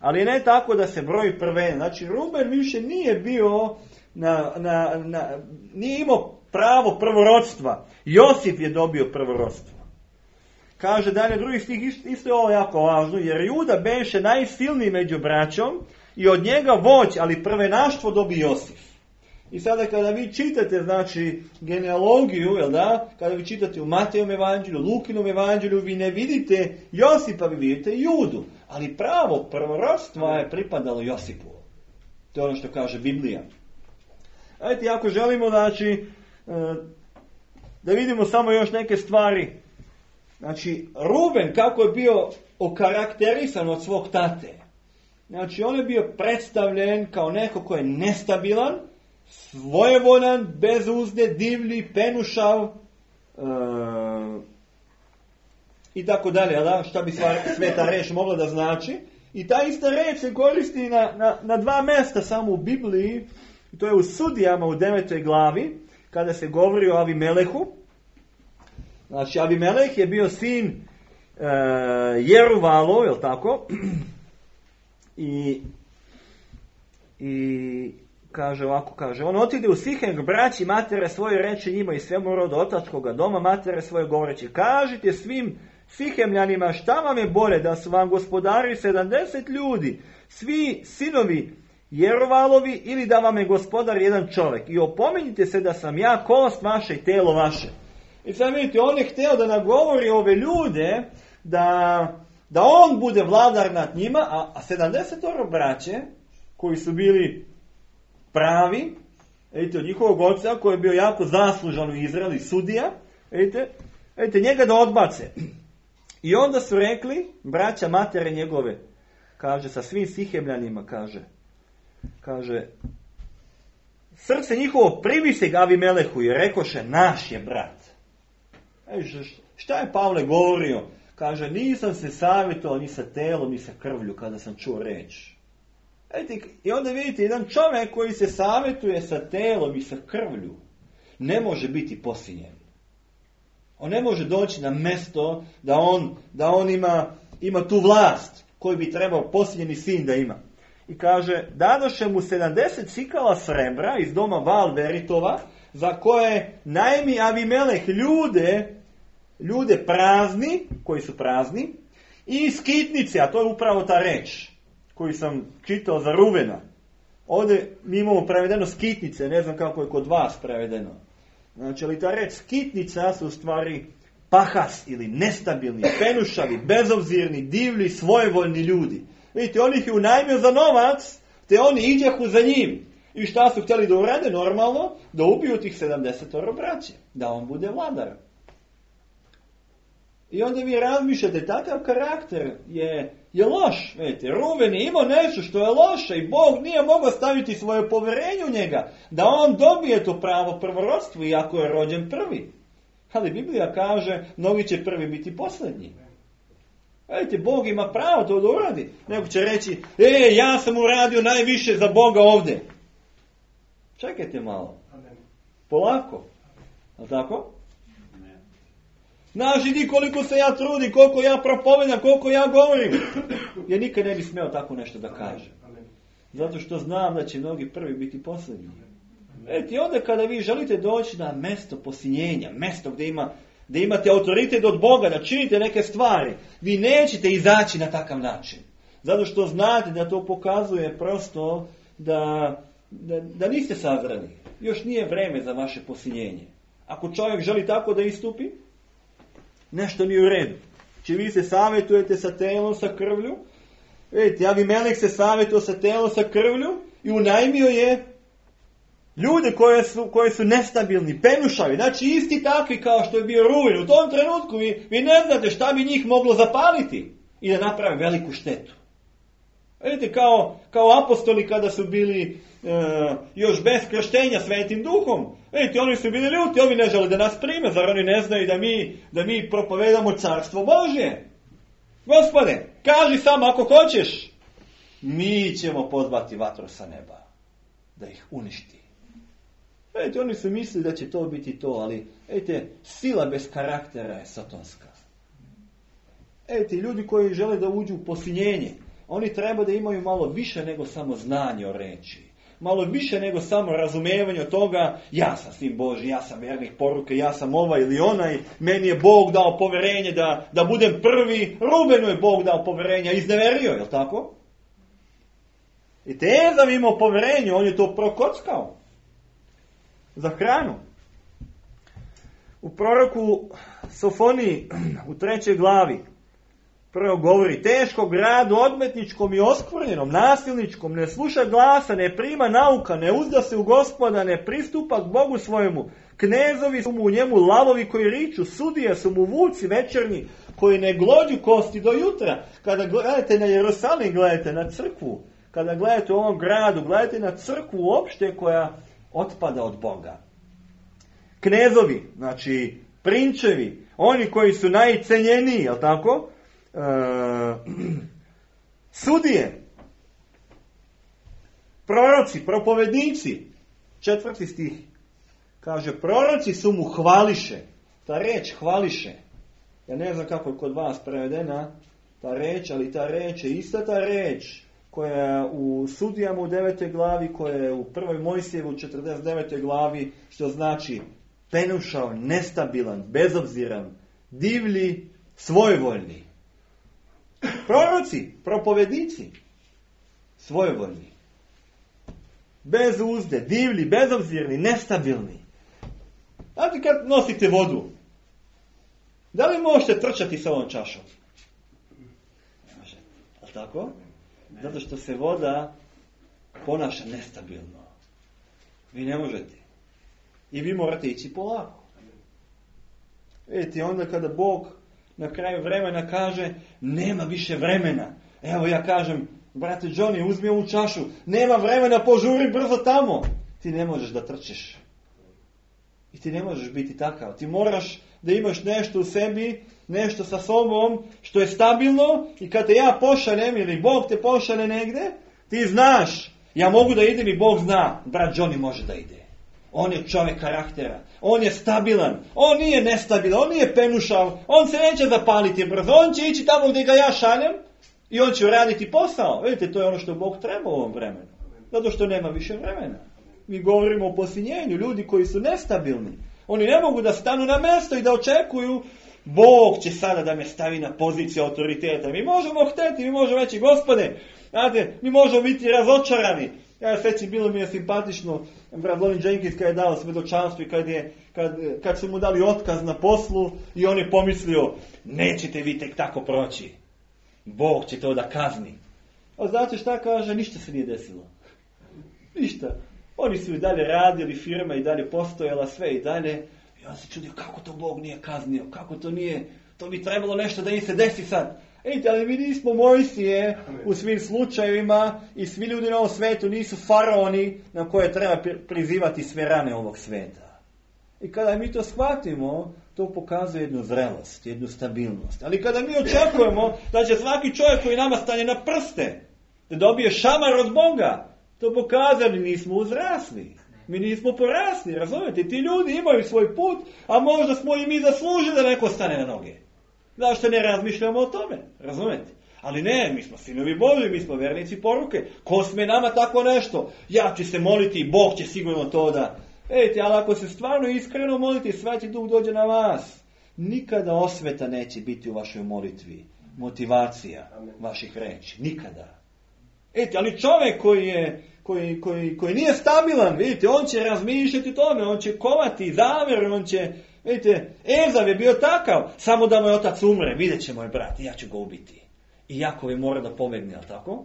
Ali ne tako da se broji prvenac. Znači, Ruben više nije bio, na, na, na, nije imao pravo prvorodstva. Josif je dobio prvorodstvo. kaže dalje drugi stih, isto je ovo jako važno, jer Juda beše najsilniji među braćom i od njega voć, ali prvenaštvo dobi Josif. I sada kada vi čitate, znači, genealogiju, jel da, kada vi čitate u Matejovom evanđelju, Lukinom evanđelju, vi ne vidite Josipa, vi vidite Judu. Ali pravo prvorodstva je pripadalo Josipu. To je ono što kaže Biblija. Ajde, ako želimo, znači, da vidimo samo još neke stvari. Znači, Ruben, kako je bio okarakterisan od svog tate. Znači, on je bio predstavljen kao neko ko je nestabilan, svojevoljan, bez uzde, divlji, penušav e, i tako dalje. Da? Šta bi sveta reč mogla da znači? I ta ista reč se koristi na, na, na dva mjesta samo u Bibliji. To je u Sudijama u devetoj glavi, kada se govori o Avimelehu. Znači, Avimeleh je bio sin e, Jeruvalov, je li tako? I, i kaže ovako, kaže, on otide u Sihem k braći matere svoje, reče njima i svemu rodu otačkoga doma matere svoje, govoreći, kažite svim Sihemljanima šta vam je bolje, da su vam gospodari sedamdeset ljudi, svi sinovi Jeruvalovi, ili da vam je gospodar jedan čovjek. I opominjite se da sam ja kost vaše i telo vaše. I sad vidite, on je htio da nagovori ove ljude da, da on bude vladar nad njima, a, a sedamdeset braće koji su bili pravi, vidite, od njihovog oca koji je bio jako zaslužan u Izraelu, sudija, vidite, vidite, njega da odbace. I onda su rekli, braća matere njegove, kaže, sa svim Sihemljanima, kaže, kaže, srce njihovo privise ga Avimelehu i rekoše, naš je brat. E, šta je Pavle govorio? Kaže, nisam se savjetovao ni sa telom, ni sa krvlju kada sam čuo reč. I onda vidite, jedan čovjek koji se savjetuje sa telom i sa krvlju ne može biti posinjen. On ne može doći na mjesto da on, da on ima, ima tu vlast koju bi trebao posinjeni sin da ima. I kaže, dadoše mu sedamdeset sikala srebra iz doma Valveritova, za koje najmi Avimeleh ljude, ljude prazni, koji su prazni, i skitnice, a to je upravo ta reč koju sam čitao za Ruvena. Ovdje mi imamo prevedeno skitnice, ne znam kako je kod vas prevedeno. Znači, ali ta reč skitnica su u stvari pahas ili nestabilni, penušavi, bezobzirni, divlji, svojevoljni ljudi. Vidite, on ih je unajmio za novac, te oni iđahu za njim. I šta su htjeli da urade? Normalno, da ubiju tih sedamdeset braće, da on bude vladar. I onda vi razmišljate, takav karakter je, je loš. Vidite, Ruven je imao nešto što je loše i Bog nije mogao staviti svoje povjerenje u njega, da on dobije to pravo prvorodstvo, iako je rođen prvi. Ali Biblija kaže, mnogi će prvi biti posljednji. Vidite, Bog ima pravo to da uradi. Neko će reći, e, ja sam uradio najviše za Boga ovdje. Čekajte malo. Polako. A tako? Znaš, idi koliko se ja trudim, koliko ja propovedam, koliko ja govorim. Ja nikad ne bi smeo tako nešto da kažem. Zato što znam da će mnogi prvi biti posljednji. Vidite, onda kada vi želite doći na mjesto posinjenja, mjesto gdje ima da imate autoritet od Boga, da činite neke stvari, vi nećete izaći na takav način. Zato što znate da to pokazuje prosto da, da, da niste sazreli. Još nije vreme za vaše posinjenje. Ako čovjek želi tako da istupi, nešto nije u redu. Či vi se savjetujete sa telom, sa krvlju. Vidite, Avimeleh se savjetuje sa telom, sa krvlju i unajmio je ljude koje su, koje su nestabilni, penušavi, znači isti takvi kao što je bio Ruven. U tom trenutku vi, vi ne znate šta bi njih moglo zapaliti i da naprave veliku štetu. Vidite, kao, kao apostoli kada su bili e, još bez krštenja Svetim Duhom. Vidite, oni su bili ljuti, ovi ne žele da nas prime, zar oni ne znaju da mi, da mi propovedamo carstvo Božje? Gospode, kaži samo ako hoćeš, mi ćemo pozvati vatru sa neba da ih uništi. Vidite, oni su mislili da će to biti to, ali vidite, sila bez karaktera je satanska. Vidite, ljudi koji žele da uđu u posinjenje, oni treba da imaju malo više nego samo znanje o reči. malo više nego samo razumijevanje od toga, ja sam sin Božji, ja sam vjernik poruke, ja sam ovaj ili onaj, meni je Bog dao poverenje da, da budem prvi, Rubenu je Bog dao poverenje, izneverio, je li tako? I Ezav imao poverenje, on je to prokockao za hranu. U proroku Sofoniji u trećoj glavi prvo govori, teško gradu odmetničkom i oskvrnjenom, nasilničkom, ne sluša glasa, ne prima nauka, ne uzda se u Gospoda, ne pristupa k Bogu svojemu. Knezovi su mu u njemu lavovi koji riču, sudije su mu vuci večernji, koji ne glođu kosti do jutra. Kada gledate na Jerusalim, gledate na crkvu. Kada gledate u ovom gradu, gledate na crkvu uopšte koja otpada od Boga. Knezovi, znači prinčevi, oni koji su najcenjeniji, je li tako? E, sudije, proroci, propovednici, četvrti stih, kaže, proroci su mu hvališe. Ta reč hvališe, ja ne znam kako je kod vas prevedena ta reč, ali ta reč je ista ta reč koja je u Sudijama u devetoj glavi, koja je u prvoj Mojsijevu u četrdeset devetoj glavi, što znači penušao, nestabilan, bezobziran, divlji, svojevoljni. Proroci, propovednici, svojevoljni. Bez uzde, divlji, bezobzirni, nestabilni. Znate kad nosite vodu, da li možete trčati sa ovom čašom? Ne možete. Ali tako? Zato što se voda ponaša nestabilno. Vi ne možete. I vi morate ići polako. Vidite, onda kada Bog na kraju vremena kaže, nema više vremena. Evo ja kažem, brate Johnny, uzmi ovu čašu. Nema vremena, požuri brzo tamo. Ti ne možeš da trčeš. I ti ne možeš biti takav. Ti moraš da imaš nešto u sebi, nešto sa sobom, što je stabilno i kad te ja pošaljem ili Bog te pošalje negdje, ti znaš, ja mogu da idem i Bog zna, brat Johnny može da ide. On je čovjek karaktera, on je stabilan, on nije nestabilan, on nije penušav, on se neće zapaliti brzo, on će ići tamo gdje ga ja šaljem i on će uraditi posao. Vidite, to je ono što Bog treba u ovom vremenu, zato što nema više vremena. Mi govorimo o posinjenju, ljudi koji su nestabilni. Oni ne mogu da stanu na mjesto i da očekuju Bog će sada da me stavi na poziciju autoriteta. Mi možemo hteti, mi možemo reći, Gospode, znate, mi možemo biti razočarani. Ja svećim, bilo mi je simpatično, brat Lovin Jenkins kad je dao svjedočanstvo i kad, je, kad, kad su mu dali otkaz na poslu i on je pomislio, nećete vi tek tako proći. Bog će to da kazni. A znate šta kaže? Ništa se nije desilo. Ništa. Oni su i dalje radili, firma i dalje postojala, sve i dalje. I on se čudio, kako to Bog nije kaznio, kako to nije, to bi trebalo nešto da im se desi sad. Ejte, ali mi nismo Mojsije u svim slučajevima i svi ljudi na ovom svetu nisu faraoni na koje treba prizivati sve rane ovog sveta. I kada mi to shvatimo, to pokazuje jednu zrelost, jednu stabilnost. Ali kada mi očekujemo da će svaki čovjek koji nama stane na prste, da dobije šamar od Boga, to pokazuje da nismo uzrasli. Mi nismo porasli, razumijete? Ti ljudi imaju svoj put, a možda smo i mi zaslužili da neko stane na noge. Zašto ne razmišljamo o tome? Razumijete? Ali ne, mi smo sinovi Božji, mi smo vjernici poruke. Ko sme nama tako nešto? Ja ću se moliti i Bog će sigurno to da... Ejte, ali ako se stvarno iskreno molite, Sveti Duh dođe na vas. Nikada osveta neće biti u vašoj molitvi. Motivacija vaših reči. Nikada. Ejte, ali čovjek koji je... Koji, koji, koji nije stabilan, vidite, on će razmišljati tome, on će kovati zavjer, on će, vidite, Ezav je bio takav, samo da moj otac umre, vidjet će moj brat, ja ću ga ubiti. I Jakov je mora da pobegne, ali tako?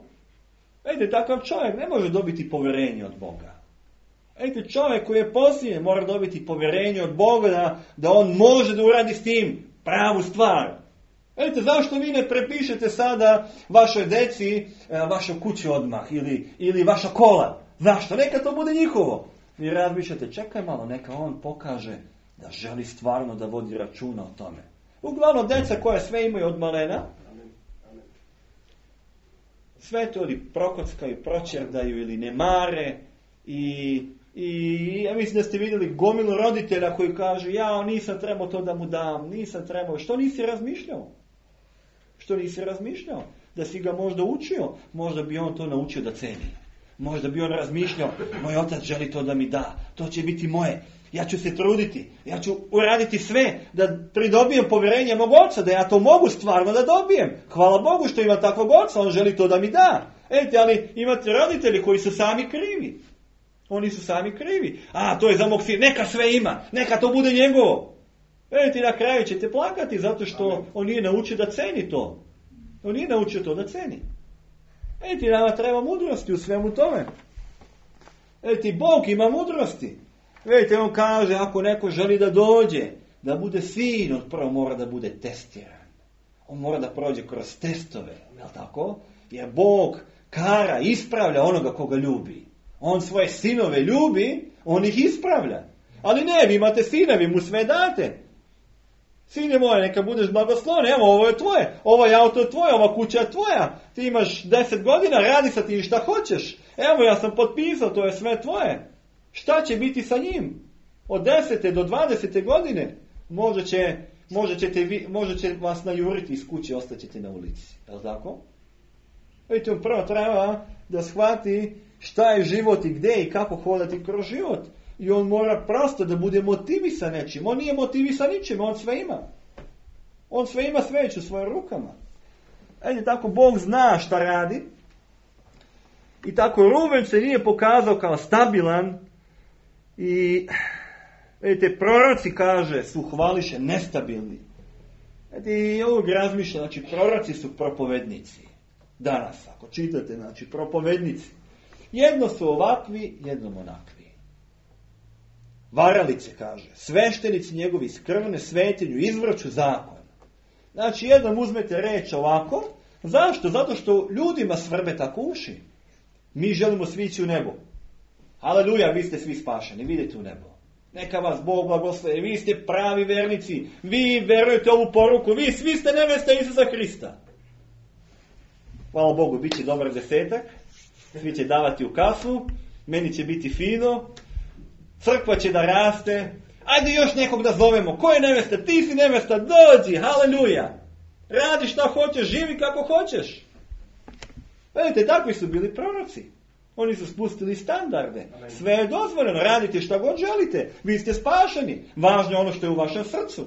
Vidite, takav čovjek ne može dobiti povjerenje od Boga. Vidite, čovjek koji je posljednji mora dobiti povjerenje od Boga da, da on može da uradi s tim pravu stvar. Vidite, zašto vi ne prepišete sada vašoj deci vašu kuću odmah ili, ili vaša kola? Zašto? Neka to bude njihovo. Vi razmišljate, čekaj malo, neka on pokaže da želi stvarno da vodi računa o tome. Uglavnom, deca koja sve imaju od malena, sve to ili prokockaju, proćerdaju ili ne mare i... I ja mislim da ste vidjeli gomilu roditelja koji kažu, ja nisam trebao to da mu dam, nisam trebao. Što nisi razmišljao? Što nisi razmišljao? Da si ga možda učio, možda bi on to naučio da ceni. Možda bi on razmišljao, moj otac želi to da mi da, to će biti moje. Ja ću se truditi, ja ću uraditi sve da pridobijem povjerenje mog oca, da ja to mogu stvarno da dobijem. Hvala Bogu što ima takvog oca, on želi to da mi da. Ejte, ali imate roditelji koji su sami krivi. Oni su sami krivi. A, to je za mog sina, neka sve ima, neka to bude njegovo. Ejte, na kraju ćete plakati zato što on nije naučio da ceni to. On nije naučio to da ceni. Ejte, nama treba mudrosti u svemu tome. Ejte, Bog ima mudrosti. Vidite, on kaže, ako neko želi da dođe, da bude sin, on prvo mora da bude testiran. On mora da prođe kroz testove, je li tako? Jer Bog kara, ispravlja onoga koga ljubi. On svoje sinove ljubi, on ih ispravlja. Ali ne, vi imate sine, vi mu sve date. Sine moje, neka budeš blagosloven, evo, ovo je tvoje, ovaj auto je tvoje, ova kuća je tvoja. Ti imaš deset godina, radi sa tim šta hoćeš. Evo, ja sam potpisao, to je sve tvoje. Šta će biti sa njim? Od desete do dvadesete godine možda će, možda ćete vi, možda će vas najuriti iz kuće, ostaćete na ulici. Je li tako? Vidite, on prvo treba da shvati šta je život i gdje i kako hodati kroz život. I on mora prosto da bude motivisan nečim. On nije motivisan ničim, on sve ima. On sve ima, sve već u svojim rukama. Ajde, tako Bog zna šta radi. I tako Ruben se nije pokazao kao stabilan. I vidite, proroci, kaže, su hvališe nestabilni. Vidite, i ovog razmišlja, znači proroci su propovednici. Danas, ako čitate, znači propovednici. Jedno su ovakvi, jednom onakvi. Varalice, kaže, sveštenici njegovi skrvne svetinju, izvrću zakon. Znači, jednom uzmete reč ovako. Zašto? Zato što ljudima svrbe tako uši. Mi želimo svići u nebo. Aleluja, vi ste svi spašeni, vidite u nebo. Neka vas Bog blagoslovi, vi ste pravi vernici, vi verujete ovu poruku, vi svi ste nevesta Isusa Hrista. Hvala Bogu, bit će dobar desetak, svi će davati u kasu, meni će biti fino, crkva će da raste, ajde još nekog da zovemo, ko je nevesta, ti si nevesta, dođi, haleluja. Radi šta hoćeš, živi kako hoćeš. Vidite, takvi su bili proroci. Oni su spustili standarde. Sve je dozvoljeno, radite šta god želite. Vi ste spašeni. Važno je ono što je u vašem srcu.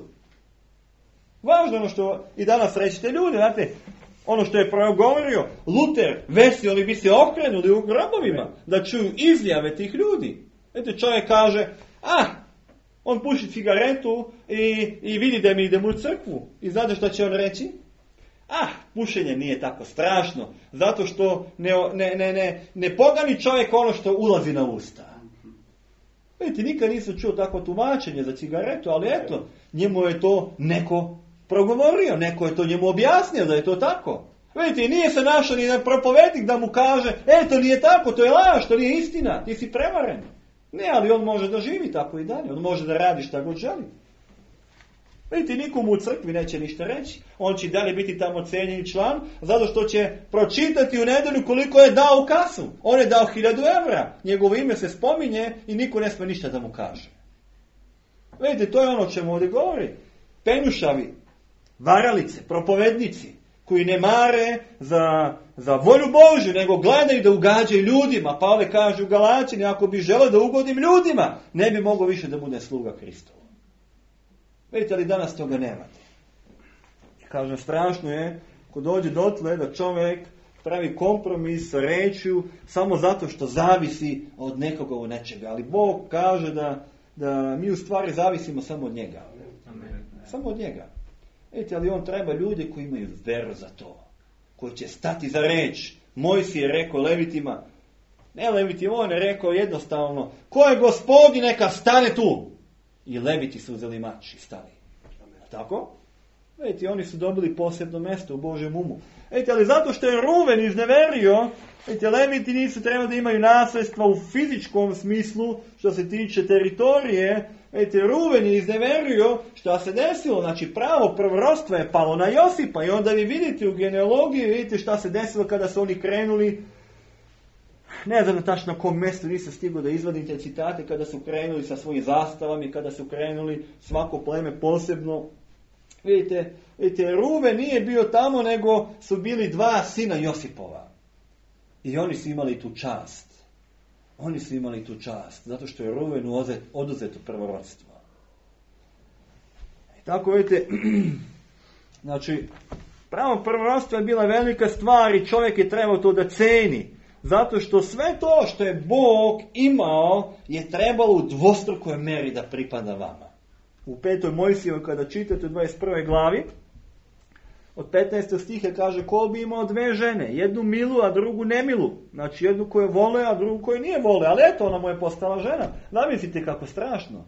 Važno je ono što i danas rećete ljudi. Znate, ono što je progovorio Luter, vesi, oni bi se okrenuli u grobovima da čuju izjave tih ljudi. Znate, čovjek kaže, ah, on puši cigaretu i, i vidi da mi idemo u crkvu. I znate šta će on reći? Ah, pušenje nije tako strašno, zato što ne, ne, ne, ne, ne pogani čovjek ono što ulazi na usta. Vidite, nikad nisam čuo tako tumačenje za cigaretu, ali eto, njemu je to neko progovorio, neko je to njemu objasnio da je to tako. Vidite, nije se našao ni jedan propovednik da mu kaže, e, to nije tako, to je laž, to nije istina, ti si prevaren. Ne, ali on može da živi tako i dalje, on može da radi šta god želi. Vidite, nikomu u crkvi neće ništa reći. On će dalje biti tamo cijenjeni član, zato što će pročitati u nedelju koliko je dao u kasu. On je dao hiljadu evra. Njegovo ime se spominje i niko ne sme ništa da mu kaže. Vidite, to je ono o čemu ovdje govori. Penušavi, varalice, propovednici, koji ne mare za, za volju Božju, nego gledaju da ugađaju ljudima. Pavle kaže u Galačini, ako bi želeo da ugodim ljudima, ne bi mogao više da bude sluga Hristova. Vidite, ali danas toga nemate. Kažem, strašno je ko dođe dotle da čovjek pravi kompromis sa rečju samo zato što zavisi od nekoga u nečega. Ali Bog kaže da, da mi u stvari zavisimo samo od njega. Amen. Samo od njega. Vidite, ali on treba ljude koji imaju veru za to. Koji će stati za reč. Mojsije je rekao Levitima. Ne Levitima, on je rekao jednostavno. Ko je Gospodin, neka stane tu. I Leviti su uzeli mač i stali. Tako? Vidite, oni su dobili posebno mjesto u Božjem umu. Vidite, ali zato što je Ruven izneverio, vidite, Leviti nisu trebali da imaju nasljedstva u fizičkom smislu, što se tiče teritorije. Vidite, Ruven je izneverio što se desilo. Znači, pravo prvorodstvo je palo na Josipa. I onda vi vidite u genealogiji, vidite šta se desilo kada su oni krenuli. Ne znam tačno na kom mjestu, nisam stigao da izvadim te citate, kada su krenuli sa svojim zastavama i kada su krenuli svako pleme posebno. Vidite, vidite, Ruven nije bio tamo, nego su bili dva sina Josipova. I oni su imali tu čast. Oni su imali tu čast, zato što je Ruvenu oduzeto prvorodstvo. I tako vidite, znači, pravo prvorodstvo je bila velika stvar i čovjek je trebao to da ceni. Zato što sve to što je Bog imao je trebalo u dvostrukoj meri da pripada vama. U petoj Mojsijevoj kada čitate u dvadeset prvoj glavi, od petnaestog stiha kaže ko bi imao dve žene, jednu milu, a drugu nemilu. Znači jednu koju vole, a drugu koju nije vole. Ali eto, ona mu je postala žena. Zamislite kako strašno.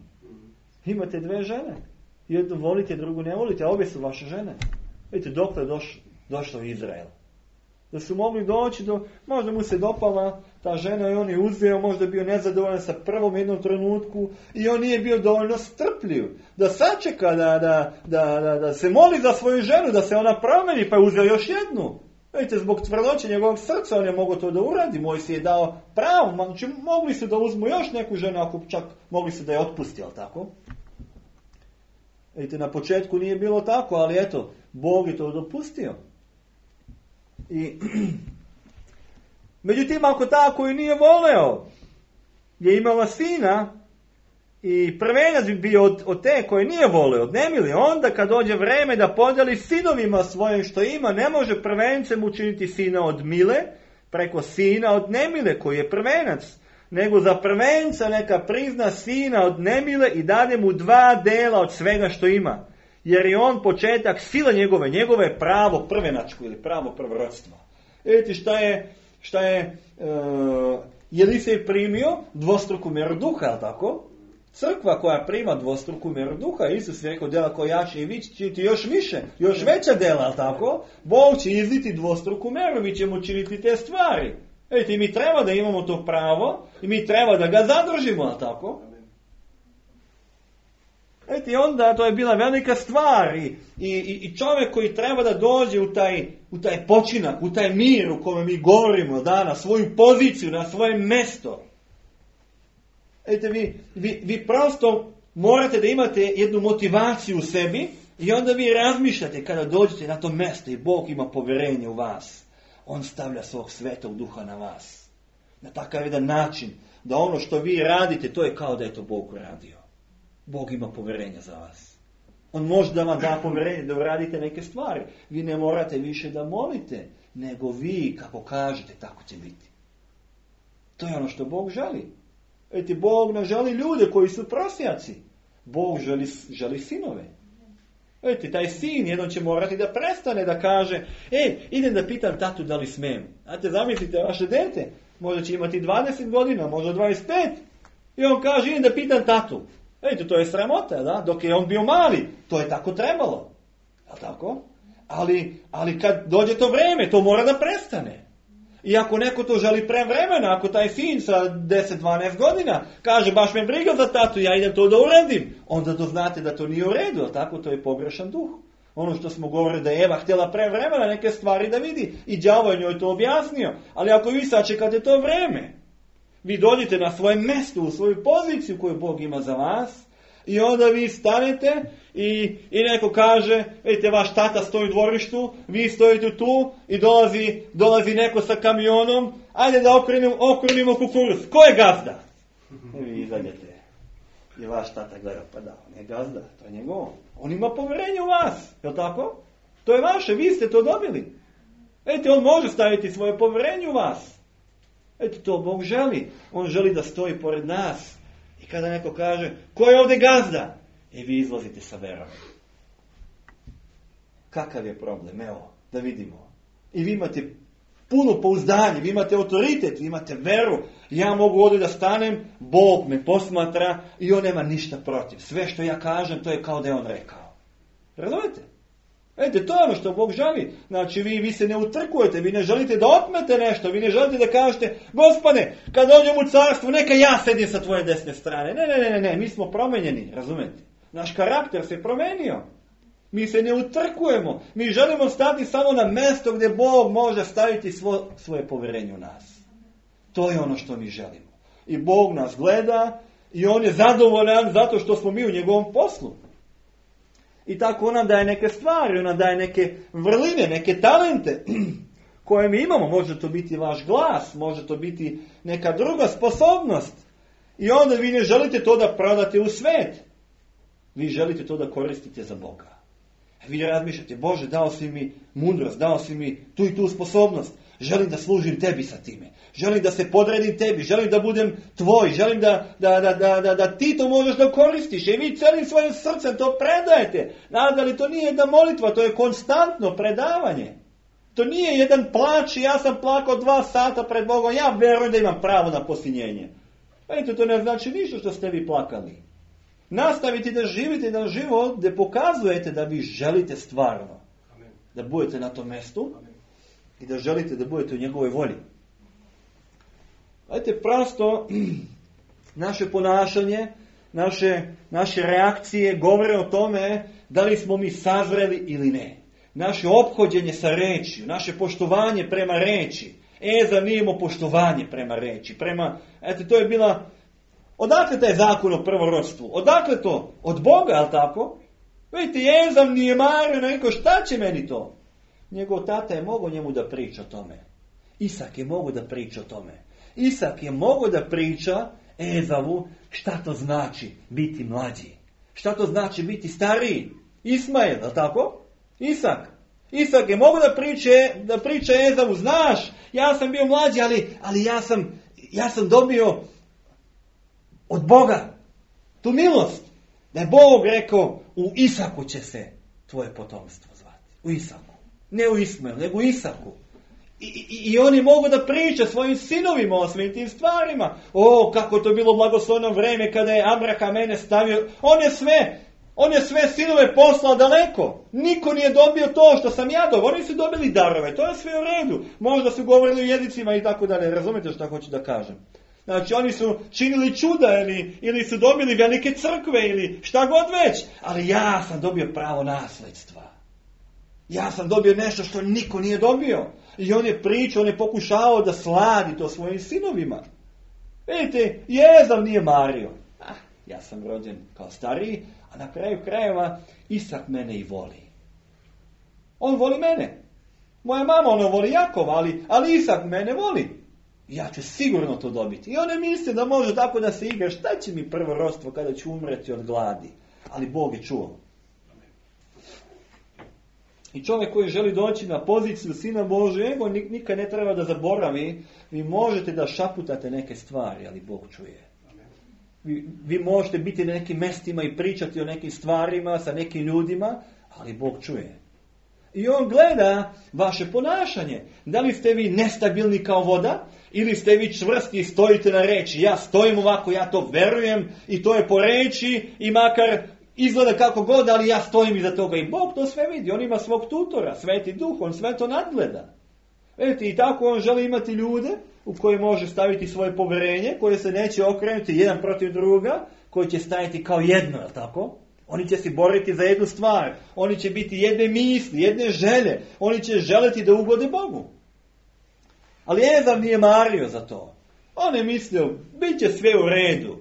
Imate dve žene. Jednu volite, drugu ne volite, a obje su vaše žene. Vidite, dokle je doš, došlo u Izrael. Da su mogli doći do, možda mu se dopala ta žena i on je uzeo, možda bio nezadovoljan sa prvom jednom trenutku i on nije bio dovoljno strpljiv. Da sačeka, da, da, da, da, da se moli za svoju ženu, da se ona promeni, pa je uzeo još jednu. Vidite, zbog tvrdoće njegovog srca on je mogao to da uradi. Mojsije je dao pravo, znači mogli su da uzmu još neku ženu, ako čak mogli su da je otpusti, ali tako? Vidite, na početku nije bilo tako, ali eto, Bog je to dopustio. I, međutim, ako ta koju nije voleo je imala sina i prvenac bi bio od, od te koje nije voleo, od nemili, onda kad dođe vreme da podeli sinovima svojim što ima, ne može prvencem učiniti sina od mile preko sina od nemile koji je prvenac, nego za prvenca neka prizna sina od nemile i dade mu dva dela od svega što ima. Jer je on početak sila njegove, njegove je pravo prvenačko ili pravo prvorodstvo. Vidite šta je, šta je uh, Jelisej primio dvostruku mjeru duha, je li tako? Crkva koja prima dvostruku mjeru duha, Isus je rekao dela koja jače i vi ćete još više, još veća dela, je li tako? Bog će izliti dvostruku mjeru, mi ćemo činiti te stvari. Vidite, mi treba da imamo to pravo i mi treba da ga zadržimo, je li tako? Vidite, onda to je bila velika stvar i, i, i čovjek koji treba da dođe u taj, u taj počinak, u taj mir u kome mi govorimo, da, na svoju poziciju, na svoje mesto. Vidite, vi, vi, vi prosto morate da imate jednu motivaciju u sebi i onda vi razmišljate kada dođete na to mesto i Bog ima povjerenje u vas. On stavlja svog svetog duha na vas. Na takav jedan način da ono što vi radite, to je kao da je to Bog uradio. Bog ima povjerenja za vas. On može da vam da povjerenje da uradite neke stvari. Vi ne morate više da molite, nego vi kako kažete, tako će biti. To je ono što Bog želi. Vidite, Bog ne želi ljude koji su prosjaci. Bog želi, želi sinove. Vidite, taj sin jednom će morati da prestane da kaže, e, idem da pitam tatu da li smijem. Znate, zamislite vaše dete, možda će imati dvadeset godina, možda dvadeset pet. I on kaže, idem da pitam tatu. Vidite, to je sramota, da? Dok je on bio mali, to je tako trebalo. Je tako? Ali, ali kad dođe to vreme, to mora da prestane. I ako neko to želi pre vremena, ako taj sin sa deset dvanaest godina kaže, baš me briga za tatu, ja idem to da uradim, onda to znate da to nije u redu, je tako? To je pogrešan duh. Ono što smo govorili da je Eva htjela pre vremena neke stvari da vidi i đavo je njoj to objasnio. Ali ako vi sačekate to vreme, vi dođete na svoje mjesto, u svoju poziciju koju Bog ima za vas i onda vi stanete i, i neko kaže, vidite, vaš tata stoji u dvorištu, vi stojite tu i dolazi, dolazi neko sa kamionom, ajde da okrenimo, okrenimo kukuruz. Ko je gazda? I vi izađete. I vaš tata gleda, pa da, on je gazda, to je njegov. On ima povjerenje u vas, je li tako? To je vaše, vi ste to dobili. Vidite, on može staviti svoje povjerenje u vas. Eto, to Bog želi. On želi da stoji pored nas. I kada neko kaže, ko je ovdje gazda? I vi izlazite sa verom. Kakav je problem? Evo, da vidimo. I vi imate puno pouzdanje, vi imate autoritet, vi imate veru. Ja mogu ovdje da stanem, Bog me posmatra i on nema ništa protiv. Sve što ja kažem, to je kao da je on rekao. Razumete? Vidite, to je ono što Bog želi. Znači, vi, vi se ne utrkujete, vi ne želite da otmete nešto, vi ne želite da kažete, Gospode, kad dođem u carstvo, neka ja sedim sa tvoje desne strane. Ne, ne, ne, ne, ne, mi smo promenjeni, razumete? Naš karakter se promenio. Mi se ne utrkujemo. Mi želimo stati samo na mjesto gdje Bog može staviti svo, svoje povjerenje u nas. To je ono što mi želimo. I Bog nas gleda i on je zadovoljan zato što smo mi u njegovom poslu. I tako on nam daje neke stvari, on nam daje neke vrline, neke talente koje mi imamo. Može to biti vaš glas, može to biti neka druga sposobnost. I onda vi ne želite to da prodate u svet. Vi želite to da koristite za Boga. Vi razmišljate, Bože, dao si mi mudrost, dao si mi tu i tu sposobnost. Želim da služim tebi sa time. Želim da se podredim tebi. Želim da budem tvoj. Želim da, da, da, da, da, da ti to možeš da koristiš. I vi celim svojim srcem to predajete. Nadali, to nije jedna molitva, to je konstantno predavanje. To nije jedan plač i ja sam plakao dva sata pred Bogom. Ja verujem da imam pravo na posinjenje. Vidite, to ne znači ništa što ste vi plakali. Nastavite da živite na život gdje pokazujete da vi želite stvarno. Amen. Da budete na tom mjestu. Amen. I da želite da budete u njegovoj volji. Vidite, prosto naše ponašanje, naše, naše reakcije govore o tome da li smo mi sazreli ili ne. Naše ophođenje sa rečju, naše poštovanje prema reči. Ezav nije imao poštovanje prema reči. Prema, eto, to je bila... Odakle taj zakon o prvorodstvu? Odakle to? Od Boga, ali tako? Vidite, Ezav nije mario, rekao, šta će meni to? Njegov tata je mogao njemu da priča o tome. Isak je mogao da priča o tome. Isak je mogao da priča Ezavu šta to znači biti mlađi. Šta to znači biti stariji. Ismael, ali tako? Isak. Isak je mogao da priče, da priča Ezavu, znaš, ja sam bio mlađi, ali, ali ja sam, ja sam dobio od Boga tu milost. Da je Bog rekao, u Isaku će se tvoje potomstvo zvati. U Isaku. Ne u Ismaelu, nego u Isaku. I, i, I oni mogu da priča svojim sinovima o svim tim stvarima. O, kako je to bilo blagoslovno vreme kada je Abraham mene stavio. On je sve, on je sve sinove poslao daleko. Niko nije dobio to što sam ja dobio. Oni su dobili darove, to je sve u redu. Možda su govorili u jezicima i tako dalje. Razumite što hoću da kažem? Znači, oni su činili čuda ili, ili su dobili velike crkve ili šta god već. Ali ja sam dobio pravo nasledstva. Ja sam dobio nešto što niko nije dobio. I on je pričao, on je pokušao da sladi to svojim sinovima. Vidite, Ezav nije mario. Ah, ja sam rođen kao stariji, a na kraju krajeva Isak mene i voli. On voli mene. Moja mama ono voli Jakova, ali, ali Isak mene voli. Ja ću sigurno to dobiti. I on ne misli da može tako da se igra. Šta će mi prvorodstvo kada ću umreti od gladi? Ali Bog je čuo. I čovjek koji želi doći na poziciju Sina Božjega, nikad ne treba da zaboravi. Vi možete da šaputate neke stvari, ali Bog čuje. Vi, vi možete biti na nekim mestima i pričati o nekim stvarima sa nekim ljudima, ali Bog čuje. I on gleda vaše ponašanje. Da li ste vi nestabilni kao voda, ili ste vi čvrsti i stojite na reči. Ja stojim ovako, ja to verujem i to je po reči i makar izgleda kako god, ali ja stojim iza toga. I Bog to sve vidi. On ima svog tutora, Sveti Duh, on sve to nadgleda. Vidite, i tako on želi imati ljude u koje može staviti svoje poverenje, koje se neće okrenuti jedan protiv druga, koji će stajati kao jedno, je li tako? Oni će se boriti za jednu stvar. Oni će biti jedne misli, jedne želje. Oni će želiti da ugode Bogu. Ali Ezav nije mario za to. On je mislio, bit će sve u redu.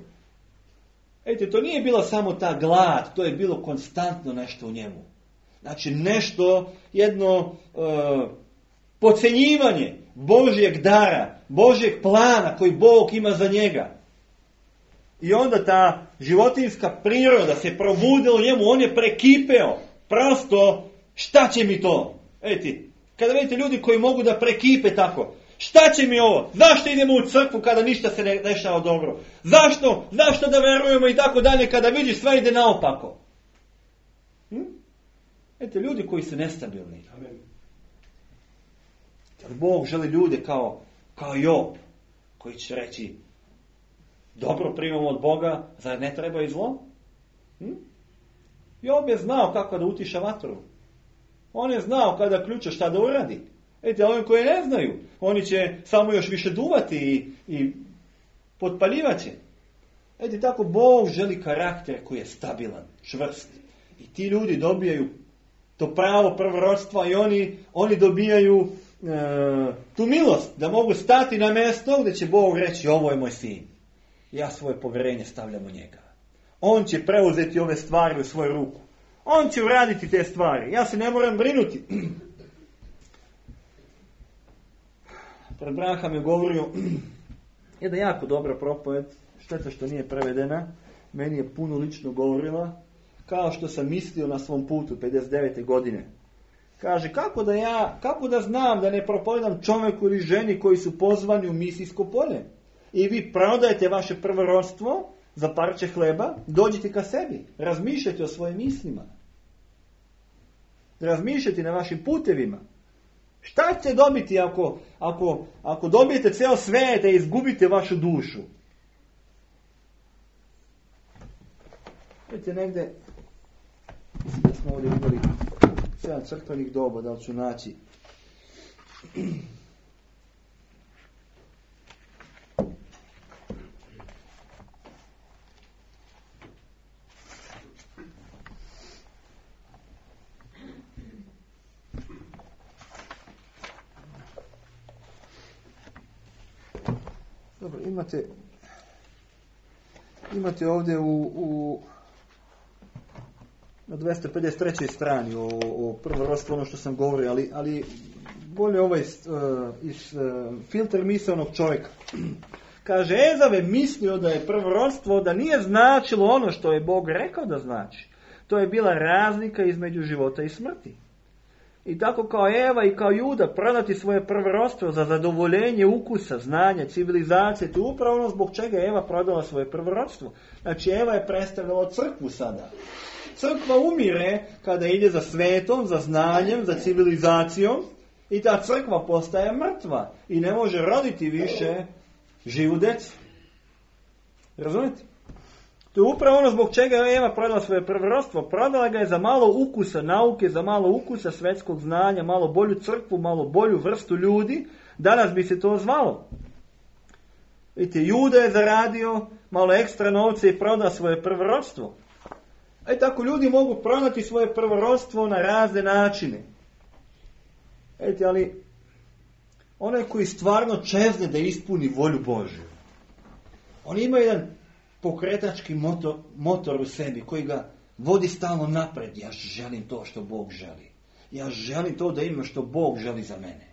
Ejte, to nije bila samo ta glad, to je bilo konstantno nešto u njemu. Znači nešto, jedno uh, podcenjivanje Božjeg dara, Božjeg plana koji Bog ima za njega. I onda ta životinjska priroda se probudila u njemu, on je prekipeo. Prosto, šta će mi to? Ejte, kada vidite ljudi koji mogu da prekipe tako, šta će mi ovo? Zašto idemo u crkvu kada ništa se ne dešava dobro? Zašto? Zašto da verujemo i tako dalje kada vidiš sve ide naopako? Hm? Ete, ljudi koji su nestabilni. Amen. Bog želi ljude kao, kao Job, koji će reći, dobro primamo od Boga, zar ne treba i zlo? Hm? Job je znao kako da utiša vatru. On je znao kada ključa šta da uradi. Ete, oni koji ne znaju, oni će samo još više duvati i, i potpaljivaće. Ete, tako Bog želi karakter koji je stabilan, čvrst. I ti ljudi dobijaju to pravo prvorodstva i oni, oni dobijaju e, tu milost da mogu stati na mjesto gdje će Bog reći, ovo je moj sin. Ja svoje povjerenje stavljam u njega. On će preuzeti ove stvari u svoju ruku. On će uraditi te stvari. Ja se ne moram brinuti. pred Branham je govorio jedna jako dobra propoved, šteta što nije prevedena, meni je puno lično govorila, kao što sam mislio na svom putu pedeset devete godine. Kaže, kako da ja, kako da znam da ne propovedam čovjeku ili ženi koji su pozvani u misijsko polje? I vi prodajete vaše prvorodstvo za parče hleba, dođite ka sebi, razmišljajte o svojim mislima. Razmišljajte na vašim putevima. Šta ćete dobiti ako, ako, ako dobijete ceo svijet da izgubite vašu dušu? Vidite negdje, mislim da smo ovdje vidjeli sedam crkvenih doba, da li ću naći. Dobro, imate imate ovdje u, u na dvjesto pedeset trećoj strani o, o prvorodstvu, ono što sam govorio, ali, ali bolje ovaj uh, iz uh, filter misaonog čovjeka. Kaže, Ezav je mislio da je prvorodstvo, da nije značilo ono što je Bog rekao da znači. To je bila razlika između života i smrti. I tako kao Eva i kao Juda prodati svoje prvorodstvo za zadovoljenje ukusa, znanja, civilizacije, to je upravo ono zbog čega je Eva prodala svoje prvorodstvo. Znači Eva je predstavljala crkvu sada. Crkva umire kada ide za svetom, za znanjem, za civilizacijom i ta crkva postaje mrtva i ne može roditi više živu decu. Razumite? To je upravo ono zbog čega je Eva prodala svoje prvorodstvo. Prodala ga je za malo ukusa nauke, za malo ukusa svetskog znanja, malo bolju crkvu, malo bolju vrstu ljudi. Danas bi se to zvalo. Vidite, Juda je zaradio malo ekstra novce i prodao svoje prvorodstvo. E tako ljudi mogu prodati svoje prvorodstvo na razne načine. Vidite, ali onaj koji stvarno čezne da ispuni volju Božju, on ima jedan pokretački motor, motor u sebi koji ga vodi stalno napred. Ja želim to što Bog želi. Ja želim to da ima što Bog želi za mene.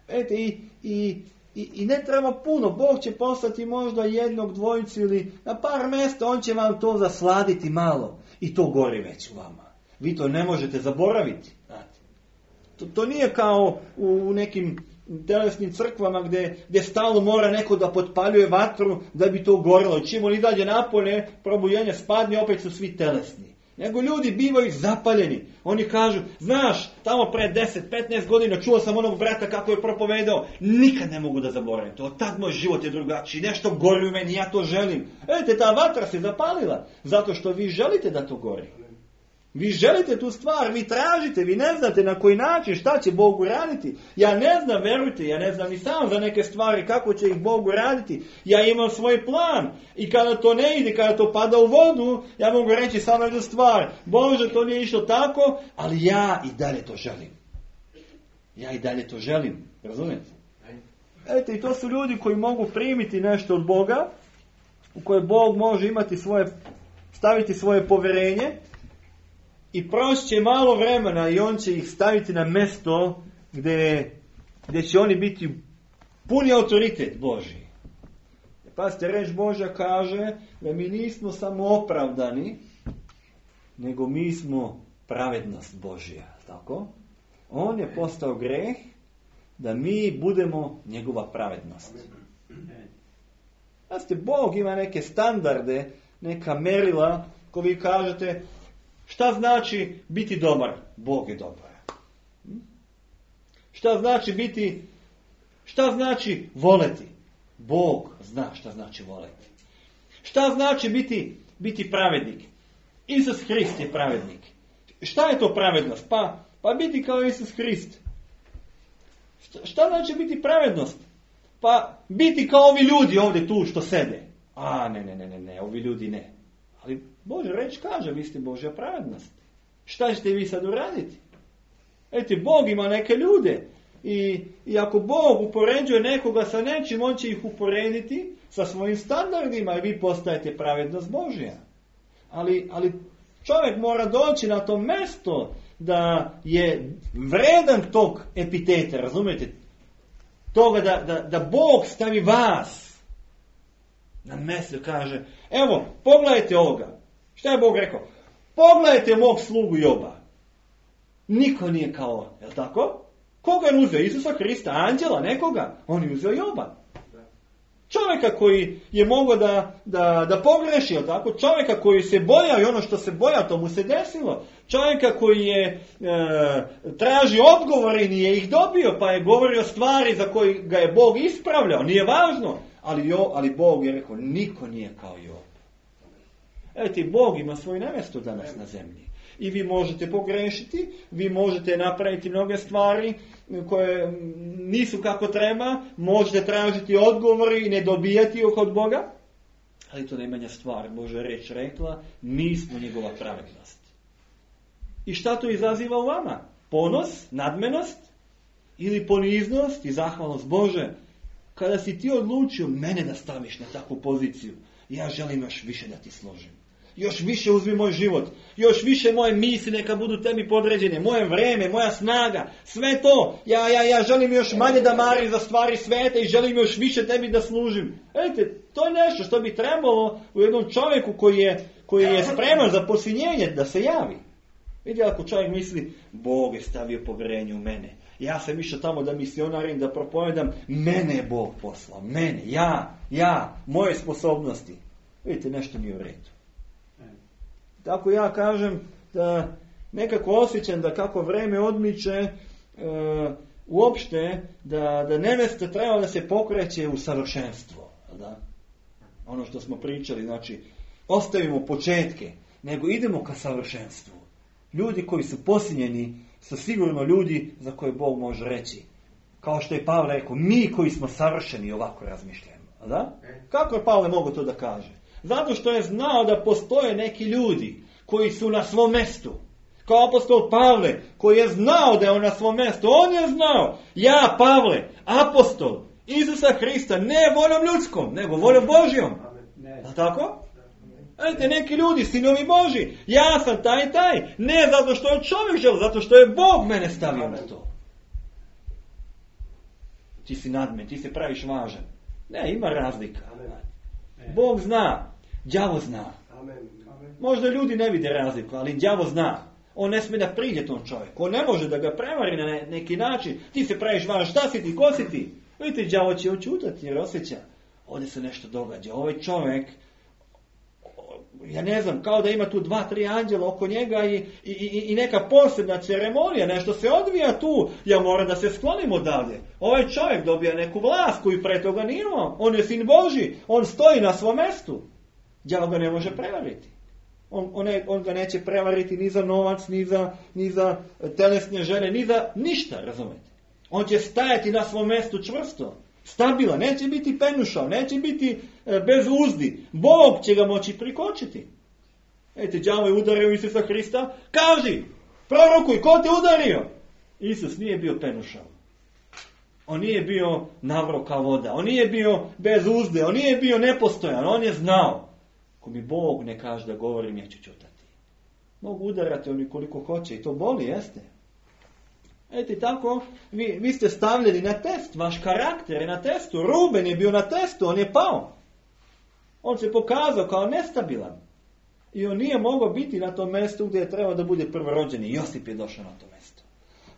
Vidite, i, i, i, i ne treba puno. Bog će poslati možda jednog, dvojicu ili na par mjesta, on će vam to zasladiti malo. I to gori već u vama. Vi to ne možete zaboraviti. Znate. To, to nije kao u nekim telesnim crkvama gdje, gdje stalno mora neko da potpaljuje vatru da bi to gorilo. Čim oni dalje napolje, probujenje spadne, opet su svi telesni. Nego ljudi bivaju zapaljeni. Oni kažu, znaš, tamo pre deset petnaest godina čuo sam onog brata kako je propovedao. Nikad ne mogu da zaboravim to. Od tad moj život je drugačiji. Nešto gori u meni, ja to želim. Vidite, ta vatra se zapalila. Zato što vi želite da to gori. Vi želite tu stvar, vi tražite, vi ne znate na koji način, šta će Bog uraditi. Ja ne znam, verujte, ja ne znam ni sam za neke stvari kako će ih Bog uraditi. Ja imam svoj plan i kada to ne ide, kada to pada u vodu, ja mogu reći samo jednu stvar. Bože, to nije išlo tako, ali ja i dalje to želim. Ja i dalje to želim, razumijete? Eto, i to su ljudi koji mogu primiti nešto od Boga, u koje Bog može imati svoje, staviti svoje povjerenje. I proći će malo vremena i on će ih staviti na mjesto gdje, gdje će oni biti puni autoritet Božji. Pazite, reč Božja kaže da mi nismo samo opravdani, nego mi smo pravednost Božja. Tako? On je postao greh da mi budemo njegova pravednost. Pazite, Bog ima neke standarde, neka merila ko vi kažete. Šta znači biti dobar? Bog je dobar. Šta znači biti, šta znači voleti? Bog zna šta znači voleti. Šta znači biti, biti pravednik? Isus Hrist je pravednik. Šta je to pravednost? Pa, pa biti kao Isus Hrist. Šta, šta znači biti pravednost? Pa biti kao ovi ljudi ovdje tu što sede. A ne, ne, ne, ne, ne, ovi ljudi ne. Ali Božja reč kaže, vi ste Božja pravednost. Šta ćete vi sad uraditi? Eto, Bog ima neke ljude. I, I ako Bog upoređuje nekoga sa nečim, on će ih uporediti sa svojim standardima i vi postajete pravednost Božja. Ali, ali čovjek mora doći na to mjesto da je vredan tog epiteta, razumijete? toga da, da, da Bog stavi vas na mjesto, kaže, evo, pogledajte ovoga. Šta je Bog rekao? Pogledajte mog slugu Joba. Niko nije kao on, je li tako? Koga je uzeo? Isusa Krista, anđela, nekoga? On je uzeo Joba. Čovjeka koji je mogao da, da, da pogreši, je li tako? Čovjeka koji se bojao i ono što se bojao, to mu se desilo. Čovjeka koji je e, traži odgovore i nije ih dobio, pa je govorio stvari za koje ga je Bog ispravljao. Nije važno, ali, jo, ali Bog je rekao, niko nije kao Job. Evo ti, Bog ima svoje mjesto danas na zemlji. I vi možete pogrešiti, vi možete napraviti mnoge stvari koje nisu kako treba, možete tražiti odgovore i ne dobijati ih od Boga, ali to najmanja stvar. Božja reč rekla, mi smo njegova pravednost. I šta to izaziva u vama? Ponos, nadmenost ili poniznost i zahvalnost? Bože, kada si ti odlučio mene da staviš na takvu poziciju, ja želim još više da ti složim. Još više uzmi moj život. Još više moje misli neka budu tebi podređene. Moje vreme, moja snaga. Sve to. Ja, ja, ja želim još manje da marim za stvari sveta i želim još više tebi da služim. Vidite, to je nešto što bi trebalo u jednom čovjeku koji je, koji je spreman za posvinjenje da se javi. Vidite, ako čovjek misli, Bog je stavio povjerenje u mene. Ja sam išao tamo da misionarim, da propovedam. Mene je Bog poslao. Mene. Ja. Ja. Moje sposobnosti. Vidite, nešto nije u redu. Tako ja kažem da nekako osjećam da kako vreme odmiče, e, uopšte da, da nevesta treba da se pokreće u savršenstvo. Da? Ono što smo pričali, znači ostavimo početke, nego idemo ka savršenstvu. Ljudi koji su posinjeni su sigurno ljudi za koje Bog može reći. Kao što je Pavle rekao, mi koji smo savršeni ovako razmišljamo. Da? Kako je Pavle mogao to da kaže? Zato što je znao da postoje neki ljudi koji su na svom mjestu. Kao apostol Pavle, koji je znao da je on na svom mjestu. On je znao, ja Pavle, apostol Isusa Hrista, ne voljom ljudskom, nego voljom Božjom. Da tako? Vidite, neki ljudi, sinovi Božji, ja sam taj taj. Ne zato što je čovjek želio, zato što je Bog mene stavio na to. Ti si nadmen, ti se praviš važan. Ne, ima razlika. Bog zna, đavo zna. Možda ljudi ne vide razliku, ali đavo zna. On ne smije da priđe tom čovjeku. On ne može da ga prevari na neki način. Ti se praviš važan, šta si ti, ko si ti? Vidite, đavo će očutati jer osjeća. Ovdje se nešto događa. Ovaj čovjek, ja ne znam, kao da ima tu dva, tri anđela oko njega i, i, i, i neka posebna ceremonija, nešto se odvija tu. Ja moram da se sklonim odavde. Ovaj čovjek dobija neku vlast koju pre toga nije imao. On je sin Božji, on stoji na svom mjestu. Đavo ga ne može prevariti. On, on, ne, on ga neće prevariti ni za novac, ni za, ni za telesne žene, ni za ništa, razumete. On će stajati na svom mjestu čvrsto, stabilan, neće biti penušav, neće biti e, bez uzdi. Bog će ga moći prikočiti. Ejte, đavo je udario Isusa Hrista, kaži, prorokuj, ko te udario? Isus nije bio penušav. On nije bio navro kao voda, on nije bio bez uzde, on nije bio nepostojan, on je znao. Ako mi Bog ne kaže da govorim, neću ćutati. Mogu udarati oni koliko hoće i to boli, jeste. Eti tako, vi, vi ste stavljeni na test, vaš karakter je na testu. Ruben je bio na testu, on je pao. On se pokazao kao nestabilan. I on nije mogao biti na tom mjestu gdje je trebao da bude prvorođeni. Josip je došao na to mjesto.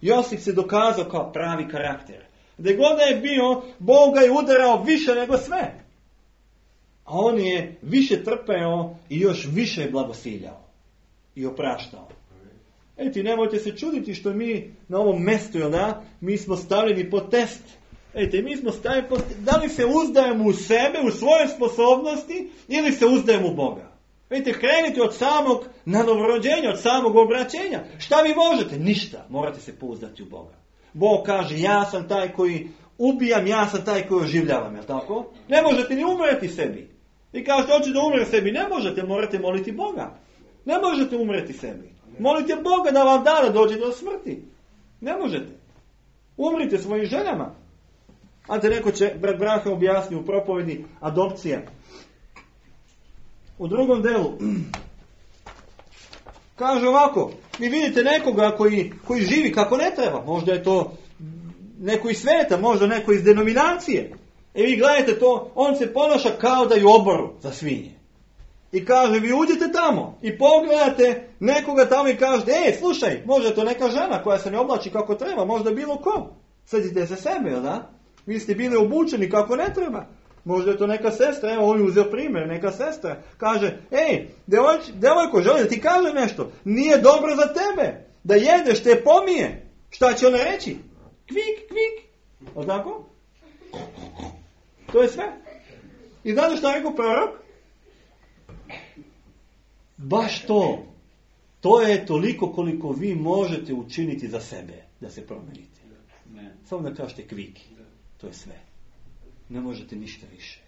Josip se dokazao kao pravi karakter. Gdje god je bio, Bog ga je udarao više nego sve. A on je više trpeo i još više je blagosiljao. I opraštao. Eti, nemojte se čuditi što mi na ovom mjestu, jel da, mi smo stavljeni pod test. Eti, mi smo stavljeni pod test. Da li se uzdajemo u sebe, u svoje sposobnosti, ili se uzdajemo u Boga? Vidite, krenite od samog novorođenja, od samog obraćenja. Šta vi možete? Ništa. Morate se pouzdati u Boga. Bog kaže, ja sam taj koji ubijam, ja sam taj koji oživljavam, jel tako? Ne možete ni umreti sebi. Vi kažete, hoću da umre sebi. Ne možete, morate moliti Boga. Ne možete umreti sebi. Molite Boga da vam da da dođe do smrti. Ne možete. Umrite svojim željama. A te neko će, brat Braha objasni u propovedi adopcija. U drugom delu kaže ovako, vi vidite nekoga koji, koji živi kako ne treba. Možda je to neko iz sveta, možda neko iz denominacije. E vi gledajte to, on se ponaša kao da je u oboru za svinje. I kaže, vi uđete tamo i pogledate nekoga tamo i kažete, ej, slušaj, možda je to neka žena koja se ne oblači kako treba, možda bilo ko. Sjetite se sebe, jel da? Vi ste bili obučeni kako ne treba. Možda je to neka sestra, evo on je uzeo primjer, neka sestra kaže, ej, devojč, devojko, želi da ti kaže nešto, nije dobro za tebe, da jedeš te pomije. Šta će ona reći? Kvik, kvik. O tako? To je sve. I znate šta je rekao prorok? Baš to. To je toliko koliko vi možete učiniti za sebe, da se promenite. Samo da kažete kviki. To je sve. Ne možete ništa više.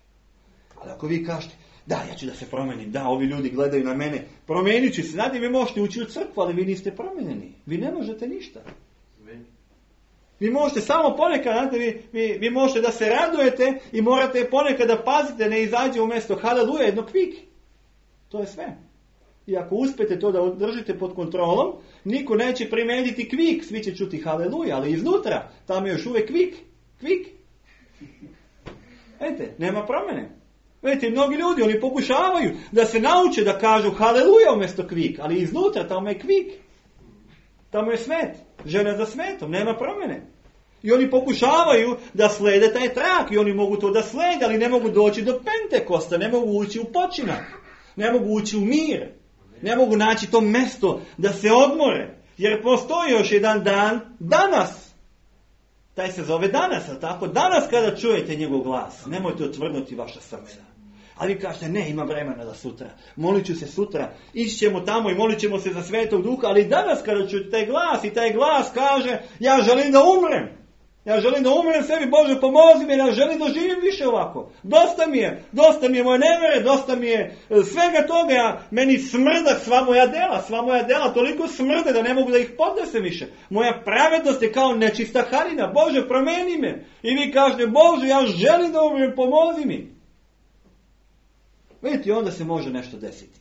Ali ako vi kažete, da, ja ću da se promenim, da, ovi ljudi gledaju na mene, promenit ću se, znate, vi možete ući u crkvu, ali vi niste promenjeni. Vi ne možete ništa. Vi možete samo ponekad, znate, vi, vi, vi možete da se radujete i morate ponekad da pazite, ne izađe umjesto haleluja, jedno kvik. To je sve. I ako uspete to da držite pod kontrolom, niko neće primeniti kvik, svi će čuti haleluja, ali iznutra, tamo je još uvijek kvik, kvik. Vidite, nema promjene. Vidite, mnogi ljudi, oni pokušavaju da se nauče da kažu haleluja umjesto kvik, ali iznutra tamo je kvik. Tamo je svet, žena za svetom, nema promjene. I oni pokušavaju da slede taj trak i oni mogu to da slede, ali ne mogu doći do Pentekosta, ne mogu ući u počinak, ne mogu ući u mir, ne mogu naći to mjesto da se odmore, jer postoji još jedan dan, danas. Taj se zove danas, ali tako? Danas kada čujete njegov glas, nemojte otvrdnuti vaša srca. Ali vi kažete, ne, ima vremena da sutra. Molit ću se sutra, ići ćemo tamo i molit ćemo se za Svetog Duha, ali danas kada čujete taj glas i taj glas kaže, ja želim da umrem. Ja želim da umrem sebi, Bože pomozi mi, ja želim da živim više ovako. Dosta mi je, dosta mi je moje nevere, dosta mi je svega toga, ja, meni smrda sva moja dela, sva moja dela toliko smrde da ne mogu da ih podnesem više. Moja pravednost je kao nečista harina, Bože promeni me. I vi kažete, Bože ja želim da umrem, pomozi mi. Vidite, onda se može nešto desiti.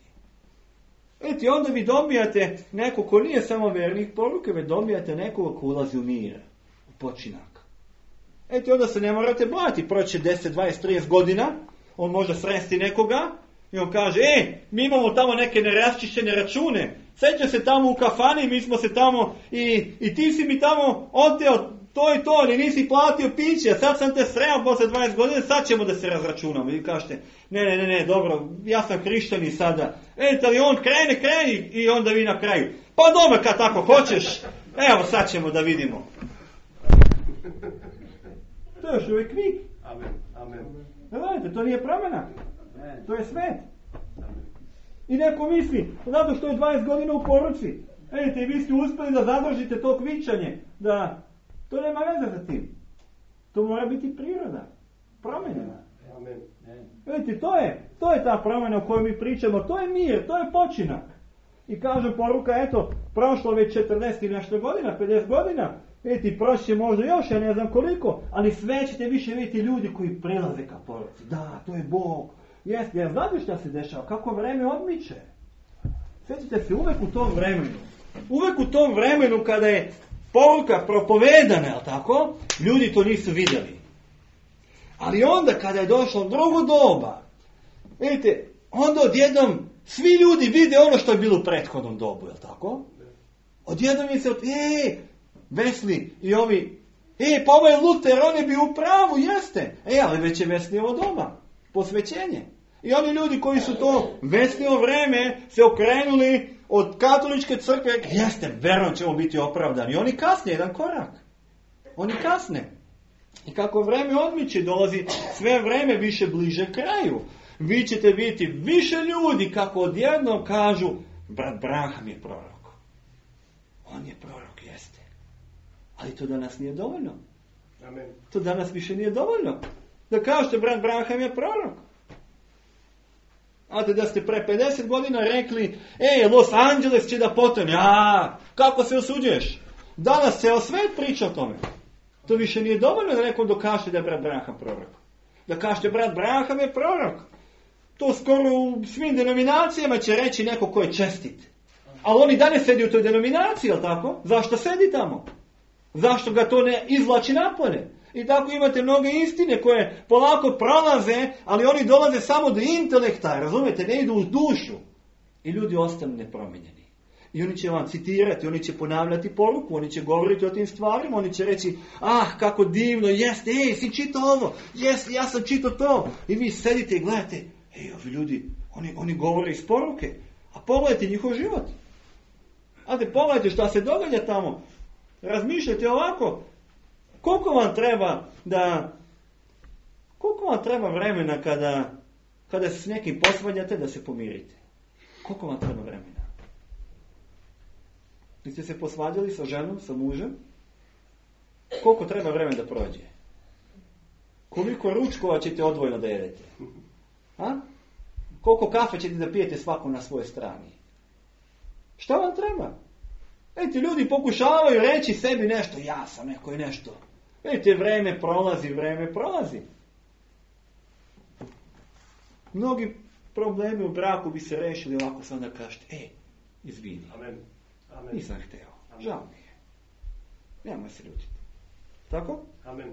Vidite, onda vi dobijate neko ko nije samo vernih poruke, već dobijate nekoga ko ulazi u mir, u počinak. Eto, onda se ne morate bojati, proće deset, dvadeset, trideset godina, on može sresti nekoga i on kaže, e, mi imamo tamo neke neraščišćene račune, sjeća se tamo u kafani, mi smo se tamo i, i ti si mi tamo oteo to i to, ni nisi platio piće, a sad sam te sreo posle dvadeset godina, sad ćemo da se razračunamo. I vi kažete, ne, ne, ne, ne, dobro, ja sam hrišćanin sada. Eto, ali on krene, kreni i onda vi na kraju. Pa dobro, kad tako hoćeš, evo sad ćemo da vidimo. To je još uvijek kvik. Amen. Amen. Gledajte, to nije promjena. To je svet. I neko misli, zato što je dvadeset godina u poruci. Ejte, vi ste uspjeli da zadržite to kvičanje. Da, to nema veze za tim. To mora biti priroda. Promjena. Amen. Vidite, to je, to je ta promjena o kojoj mi pričamo. To je mir, to je počinak. I kaže poruka, eto, prošlo već četrdeset i nešto godina, pedeset godina. Vidite, prošće možda još, ja ne znam koliko, ali sve ćete više vidjeti ljudi koji prelaze ka poruci. Da, to je Bog. Jeste, jer znate šta se dešava, kako vreme odmiče. Sjećate se uvek u tom vremenu. Uvek u tom vremenu kada je poruka propovedana, jel tako, ljudi to nisu vidjeli. Ali onda kada je došlo drugo doba, vidite, onda odjednom svi ljudi vide ono što je bilo u prethodnom dobu, jel tako? Odjednom je se, od, e, Vesli i ovi, e, pa ovaj Luter, on je bio u pravu, jeste. E, ali već je Veslijevo doba, posvećenje. I oni ljudi koji su to Veslijevo vreme se okrenuli od katoličke crkve, jeste, verujem ćemo biti opravdani. I oni kasne jedan korak. Oni kasne. I kako vreme odmiče, dolazi sve vreme više bliže kraju. Vi ćete vidjeti više ljudi kako odjednom kažu, brat Branham je prorok. On je prorok, jeste. Ali to danas nije dovoljno. Amen. To danas više nije dovoljno. Da kažete, brat Branham je prorok. A da ste pre pedeset godina rekli, ej, Los Angeles će da potone. A, kako se osuđuješ? Danas ceo svet priča o tome. To više nije dovoljno da nekom dokažete da je brat Branham prorok. Da kažete, brat Branham je prorok. To skoro u svim denominacijama će reći neko ko je čestit. Ali on i dalje sedi u toj denominaciji, jel tako? Zašto sedi tamo? Zašto ga to ne izvlači napolje? I tako imate mnoge istine koje polako prolaze, ali oni dolaze samo do intelekta, razumijete, ne idu u dušu. I ljudi ostanu nepromijenjeni. I oni će vam citirati, oni će ponavljati poruku, oni će govoriti o tim stvarima, oni će reći, ah, kako divno, jeste, ej, si čitao ovo, jeste, ja sam čitao to. I vi sedite i gledate, ej, ovi ljudi, oni, oni govore iz poruke, a pogledajte njihov život. Ajde, pogledajte šta se događa tamo. Razmišljajte ovako, koliko vam treba da, koliko vam treba vremena kada, kada se s nekim posvađate da se pomirite? Koliko vam treba vremena? Vi ste se posvađali sa ženom, sa mužem? Koliko treba vremena da prođe? Koliko ručkova ćete odvojno da jedete? A? Koliko kafe ćete da pijete svako na svojoj strani? Šta vam treba? Vidite, ljudi pokušavaju reći sebi nešto, ja sam neko i nešto. Vidite, vreme prolazi, vreme prolazi. Mnogi problemi u braku bi se rešili ovako sam da kažete, ej, izvini. Amen. Amen. Nisam hteo. Žao mi je. Nemoj se ljutiti. Tako? Amen.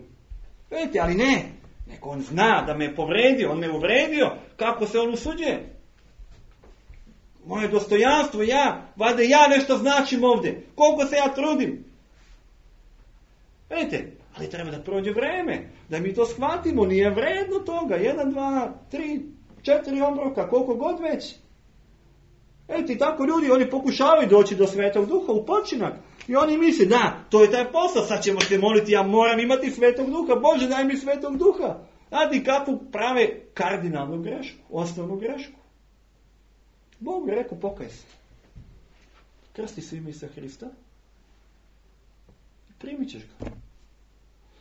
Vidite, ali ne. Neko on zna da me je povredio, on me uvredio. Kako se on usuđuje? Moje dostojanstvo, ja, valjda ja nešto značim ovdje. Koliko se ja trudim. Vidite, ali treba da prođe vreme. Da mi to shvatimo, nije vredno toga. Jedan, dva, tri, četiri obroka, koliko god već. Vidite, tako ljudi, oni pokušavaju doći do Svetog Duha u počinak. I oni misle, da, to je taj posao, sad ćemo se moliti, ja moram imati Svetog Duha. Bože, daj mi Svetog Duha. Znate kako prave kardinalnu grešku, osnovnu grešku. Bog je rekao, pokaj se. Krsti se ime Isusa Hrista. I primit ćeš ga.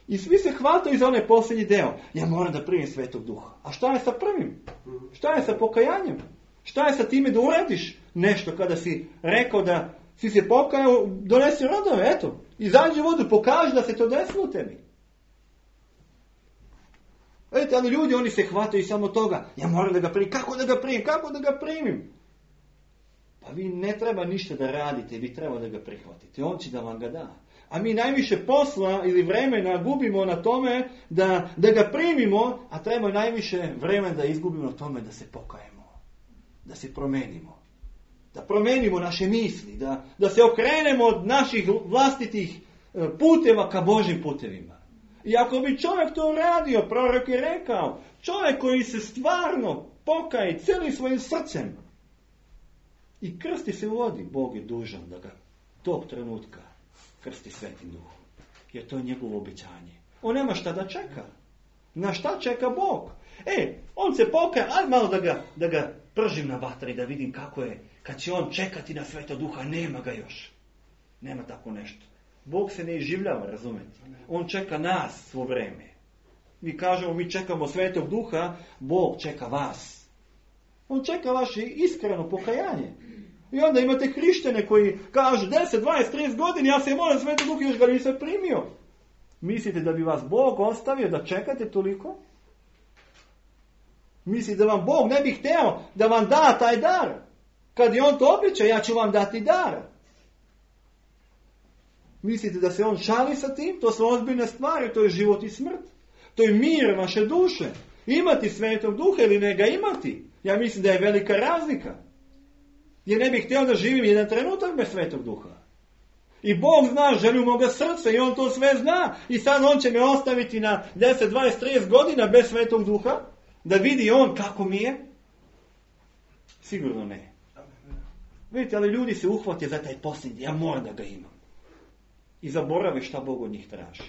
I svi se hvataju za onaj posljednji deo. Ja moram da primim Svetog Duha. A šta je sa prvim? Šta je sa pokajanjem? Šta je sa time da uradiš nešto kada si rekao da si se pokajao, donesi rodove, eto. Izađi u vodu, pokaži da se to desilo tebi. Vidite, ali ljudi, oni se hvataju samo toga. Ja moram da ga primim. Kako da ga primim? Kako da ga primim? Pa vi ne treba ništa da radite, vi treba da ga prihvatite. On će da vam ga da. A mi najviše posla ili vremena gubimo na tome da, da ga primimo, a treba najviše vremena da izgubimo na tome da se pokajemo. Da se promenimo. Da promenimo naše misli. Da, da se okrenemo od naših vlastitih puteva ka Božim putevima. I ako bi čovjek to uradio, prorok je rekao, čovjek koji se stvarno pokaje cijelim svojim srcem i krsti se u vodi, Bog je dužan da ga tog trenutka krsti Svetim Duhom. Jer to je njegovo obećanje. On nema šta da čeka. Na šta čeka Bog? E, on se pokaje, aj malo da ga, da ga pržim na vatri, da vidim kako je. Kad će on čekati na Svetog Duha, nema ga još. Nema tako nešto. Bog se ne iživljava, razumete? On čeka nas svo vreme. Mi kažemo, mi čekamo Svetog Duha, Bog čeka vas. On čeka vaše iskreno pokajanje. I onda imate hrišćane koji kažu deset, dvadeset, trideset godina, ja se molim Svetog Duha, još ga nisam primio. Mislite da bi vas Bog ostavio da čekate toliko? Mislite da vam Bog ne bi hteo da vam da taj dar? Kad je on to obeća, ja ću vam dati dar. Mislite da se on šali sa tim? To su ozbiljne stvari, to je život i smrt. To je mir vaše duše. Imati Svetog Duha ili ne ga imati. Ja mislim da je velika razlika. Jer ne bih htio da živim jedan trenutak bez Svetog Duha. I Bog zna želju moga srca i on to sve zna. I sad on će me ostaviti na deset, dvadeset, trideset godina bez Svetog Duha. Da vidi on kako mi je. Sigurno ne. Vidite, ali ljudi se uhvate za taj posljednji. Ja moram da ga imam. I zaborave šta Bog od njih traži.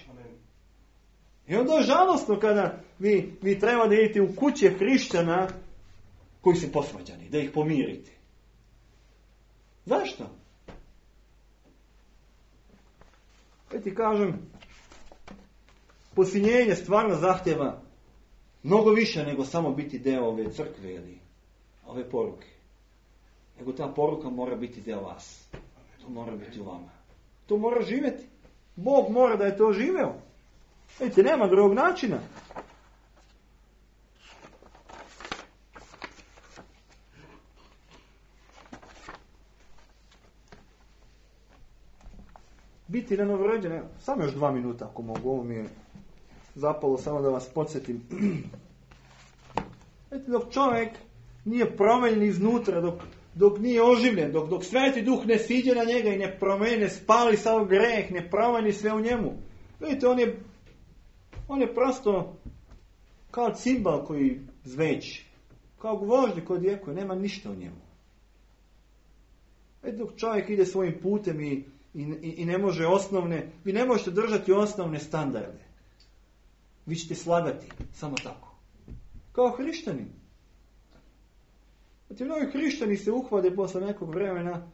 I onda je žalostno kada vi, vi treba da idete u kuće hrišćana koji su posvađani, da ih pomirite. Zašto? Ja ti kažem, posinjenje stvarno zahtjeva mnogo više nego samo biti deo ove crkve ili ove poruke. Nego ta poruka mora biti deo vas. To mora biti u vama. To mora živjeti. Bog mora da je to živeo. Vidite, nema drugog načina. biti na novorođen. Samo još dva minuta ako mogu, ovo mi je zapalo samo da vas podsjetim. Vidite, dok čovjek nije promenjen iznutra, dok, dok nije oživljen, dok, dok Sveti Duh ne siđe na njega i ne promeni, ne spali sav greh, ne promeni sve u njemu. Vidite, on je, on je prosto kao cimbal koji zveči, kao gvožđe koji odjekuje, nema ništa u njemu. Vidite, dok čovjek ide svojim putem i, i, i ne može osnovne, vi ne možete držati osnovne standarde. Vi ćete slagati, samo tako. Kao hrišćanin. Znači, mnogi hrišćani se uhvade posle nekog vremena,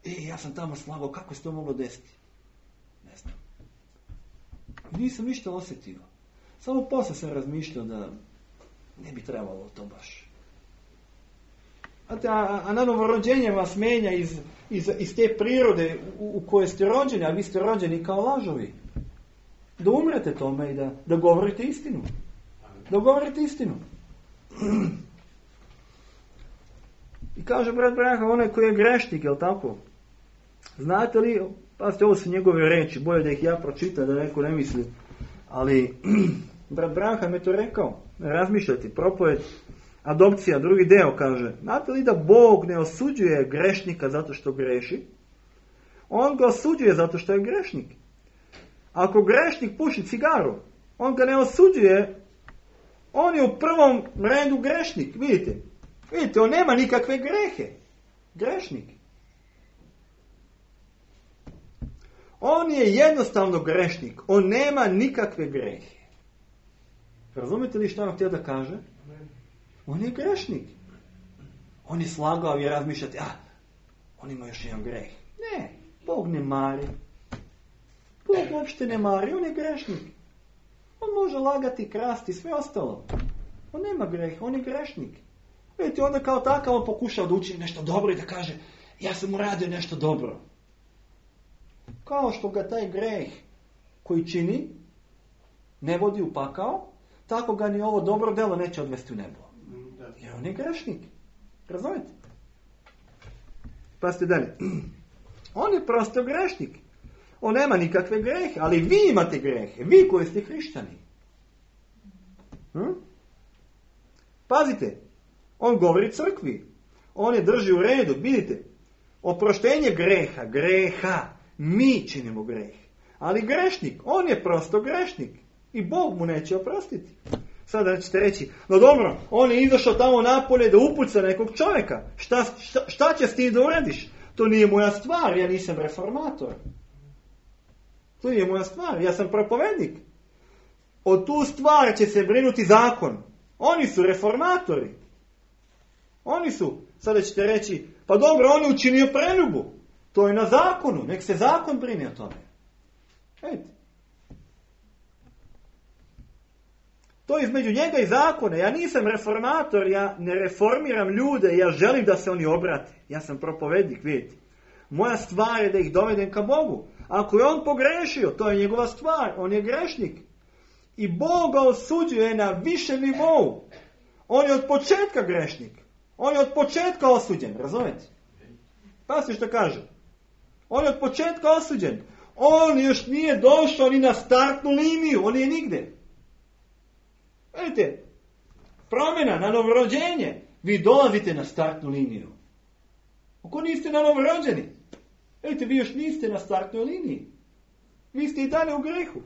e, ja sam tamo slagao, kako se to moglo desiti? Ne znam. Nisam ništa osjetio. Samo posle sam razmišljao da ne bi trebalo to baš. Znate, a, a na novorođenje vas menja iz, iz, iz te prirode u, u kojoj ste rođeni, a vi ste rođeni kao lažovi. Da umrete tome i da, da govorite istinu. Da govorite istinu. I kaže brat Branham, onaj koji je grešnik, jel tako? Znate li, pazite, ovo su njegove reči, bolje da ih ja pročitam, da neko ne misli. Ali, brat Branham je to rekao, razmišljati, propoved, adopcija, drugi deo kaže, znate li da Bog ne osuđuje grešnika zato što greši? On ga osuđuje zato što je grešnik. Ako grešnik puši cigaru, on ga ne osuđuje, on je u prvom redu grešnik, vidite. Vidite, on nema nikakve grehe. Grešnik. On je jednostavno grešnik. On nema nikakve grehe. Razumite li što on htio da kaže? On je grešnik. On je slagao i razmišljati, a, on ima još jedan greh. Ne, Bog ne mari. Bog uopšte ne mari, on je grešnik. On može lagati, krasti, sve ostalo. On nema greh, on je grešnik. Vidite, onda kao takav on pokušao da učini nešto dobro i da kaže, ja sam uradio nešto dobro. Kao što ga taj greh koji čini ne vodi u pakao, tako ga ni ovo dobro delo neće odvesti u nebo. Jer on je grešnik. Razumite? Pazite dalje. On je prosto grešnik. On nema nikakve grehe, ali vi imate grehe. Vi koji ste hrišćani. Hm? Pazite. On govori crkvi. On je drži u redu. Vidite. Oproštenje greha. Greha. Mi činimo greh. Ali grešnik. On je prosto grešnik. I Bog mu neće oprostiti. Sada ćete reći, no dobro, on je izašao tamo napolje da upuca nekog čovjeka. Šta, šta, šta će s tim da uradiš? To nije moja stvar, ja nisam reformator. To nije moja stvar, ja sam propovednik. O tu stvar će se brinuti zakon. Oni su reformatori. Oni su, sada ćete reći, pa dobro, on je učinio preljubu. To je na zakonu, nek se zakon brine o tome. Vidite. To je između njega i zakona. Ja nisam reformator, ja ne reformiram ljude, ja želim da se oni obrate. Ja sam propovednik, vidite. Moja stvar je da ih dovedem ka Bogu. Ako je on pogrešio, to je njegova stvar, on je grešnik. I Bog ga osuđuje na višem nivou. On je od početka grešnik. On je od početka osuđen, razumete? Pazite što kaže. On je od početka osuđen. On još nije došao ni na startnu liniju, on je nigde. Vidite, promjena na novorođenje, vi dolazite na startnu liniju. Ako niste na novorođeni, vidite, vi još niste na startnoj liniji. Vi ste i dalje u grehu.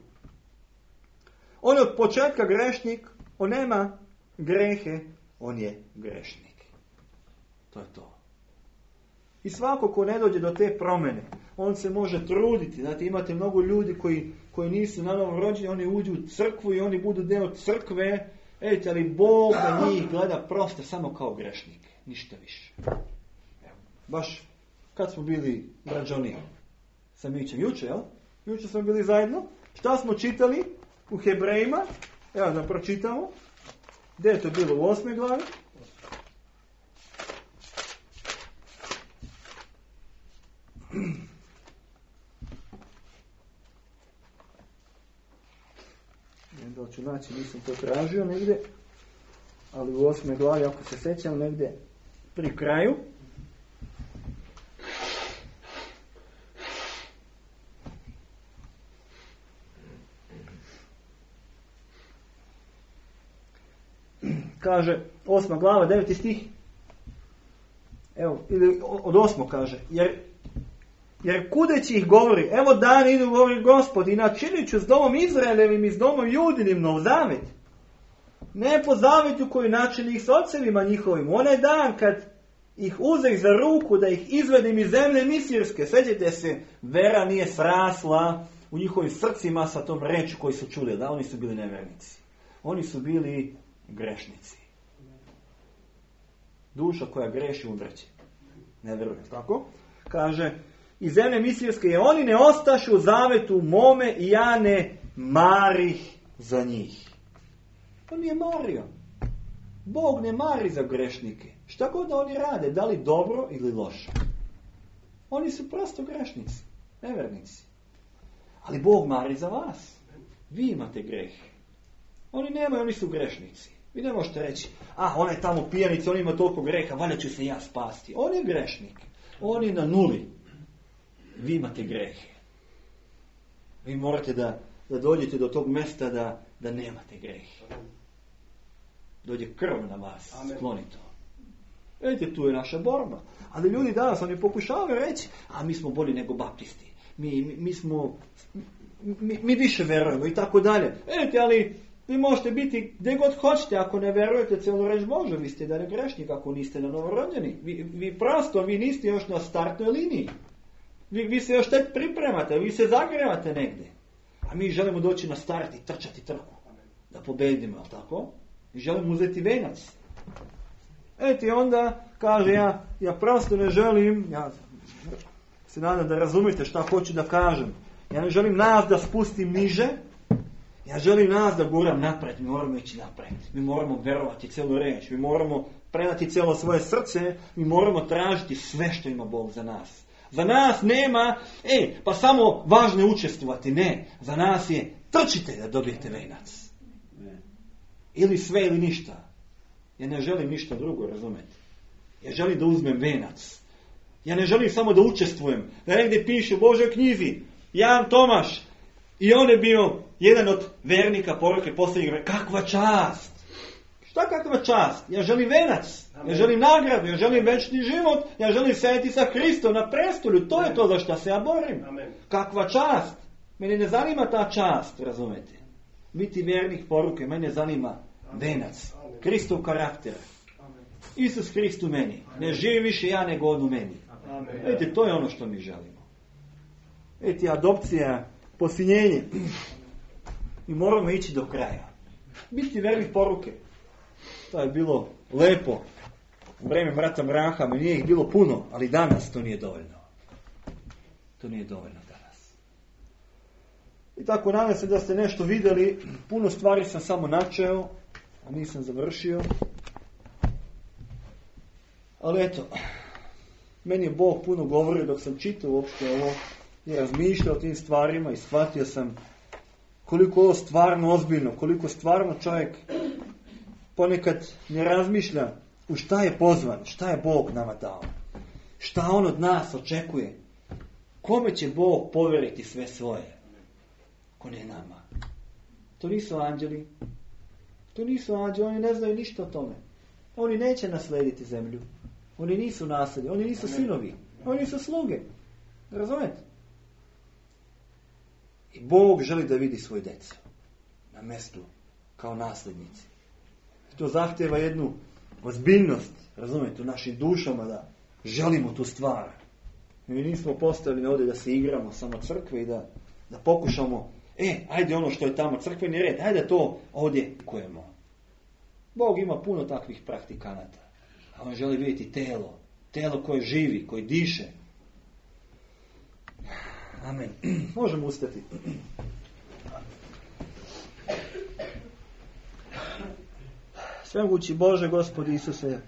On je od početka grešnik, on nema grehe, on je grešnik. To je to. I svako ko ne dođe do te promjene, on se može truditi. Znate, imate mnogo ljudi koji, koji nisu na novom rođeni, oni uđu u crkvu i oni budu deo crkve. Ejte, ali Bog na njih gleda prosto samo kao grešnik. Ništa više. Evo, baš kad smo bili građani sa Mićem, juče, jel? Juče smo bili zajedno. Šta smo čitali u Hebrejima? Evo da pročitamo. Gdje je to bilo? U osmoj glavi? Da ću naći, nisam to tražio negdje, ali u osmoj glavi, ako se sećam, negdje pri kraju. kaže osma glava, deveti stih. Evo, ili od osmog kaže, jer, jer kudeći ih govori, evo dan idu, govori Gospod, i načinit ću s domom Izraelevim i s domom Judinim nov zavet. Ne po zavetu koji načini ih s ocevima njihovim. Onaj dan kad ih uzeh za ruku da ih izvedim iz zemlje misirske. Sjećate se, vera nije srasla u njihovim srcima sa tom reči koju su čuli. Da, oni su bili nevernici. Oni su bili grešnici. Duša koja greši umreće. Ne veruje. Tako? Kaže, iz zemlje misirske je oni ne ostašu u zavetu mome i ja ne marih za njih. On nije mario. Bog ne mari za grešnike. Šta god da oni rade, da li dobro ili loše. Oni su prosto grešnici, nevernici. Ali Bog mari za vas. Vi imate greh. Oni nemaju, oni su grešnici. Vi ne možete reći, a ona je tamo pijanica, on ima toliko greha, valjda ću se ja spasti. On je grešnik. On je na nuli. Vi imate grehe. Vi morate da, da dođete do tog mjesta da, da nemate grehe. Dođe krv na vas, skloni to. Vidite, tu je naša borba. Ali ljudi danas, oni pokušavaju reći, a mi smo bolji nego baptisti. Mi, mi, mi smo, mi, mi više verujemo i tako dalje. Vidite, ali vi možete biti gdje god hoćete, ako ne verujete cijelu reč Bože, vi ste da ne grešnik ako niste na novorođeni. Vi, vi prosto, vi niste još na startnoj liniji. Vi, vi se još tek pripremate, vi se zagrevate negdje. A mi želimo doći na start i trčati trku. Da pobedimo, ali tako? I želimo uzeti venac. Eti onda kaže ja, ja prosto ne želim, ja se nadam da razumite šta hoću da kažem. Ja ne želim nas da spustim niže, ja želim nas da guram napred, mi moramo ići napred. Mi moramo verovati cijelu reč, mi moramo predati cijelo svoje srce, mi moramo tražiti sve što ima Bog za nas. Za nas nema, e, pa samo važno je učestvovati, ne. Za nas je, trčite da dobijete venac. Ili sve ili ništa. Ja ne želim ništa drugo, razumete. Ja želim da uzmem venac. Ja ne želim samo da učestvujem. Da negdje piše u Božoj knjizi, Jan Tomaš, i on je bio jedan od vernika poruke posljednjeg vremena. Kakva čast! Šta kakva čast? Ja želim venac. Ja želim nagradu. Ja želim večni život. Ja želim sedjeti sa Hristom na prestolju. To je to za što se ja borim. Amen. Kakva čast! Mene ne zanima ta čast, razumete. Biti vernik poruke, mene zanima venac. Kristov karakter. Isus Hrist u meni. Ne živi više ja nego on u meni. Vidite, to je ono što mi želimo. Vidite, adopcija, posinjenje. I moramo ići do kraja. Biti vernik poruke. To je bilo lepo. U vreme brata Mraha mi nije ih bilo puno, ali danas to nije dovoljno. To nije dovoljno danas. I tako nadam se da ste nešto vidjeli. Puno stvari sam samo načeo, a nisam završio. Ali eto, meni je Bog puno govorio dok sam čitao uopšte ovo i razmišljao o tim stvarima i shvatio sam koliko ovo stvarno ozbiljno, koliko stvarno čovjek ponekad ne razmišlja u šta je pozvan, šta je Bog nama dao, šta on od nas očekuje, kome će Bog povjeriti sve svoje, ko ne nama. To nisu anđeli, to nisu anđeli, oni ne znaju ništa o tome. Oni neće naslediti zemlju, oni nisu nasledi, oni nisu sinovi, oni su sluge. Razumete? I Bog želi da vidi svoju djecu na mjestu kao nasljednici. To zahtjeva jednu ozbiljnost, razumijete, u našim dušama da želimo tu stvar. Mi nismo postavljeni ovdje da se igramo samo crkve i da, da pokušamo, e, ajde ono što je tamo crkveni red, ajde to ovdje kujemo. Bog ima puno takvih praktikanata, a on želi vidjeti telo, telo koje živi, koje diše. Amen. Možemo ustati. Svemogući Bože, Gospodi Isuse,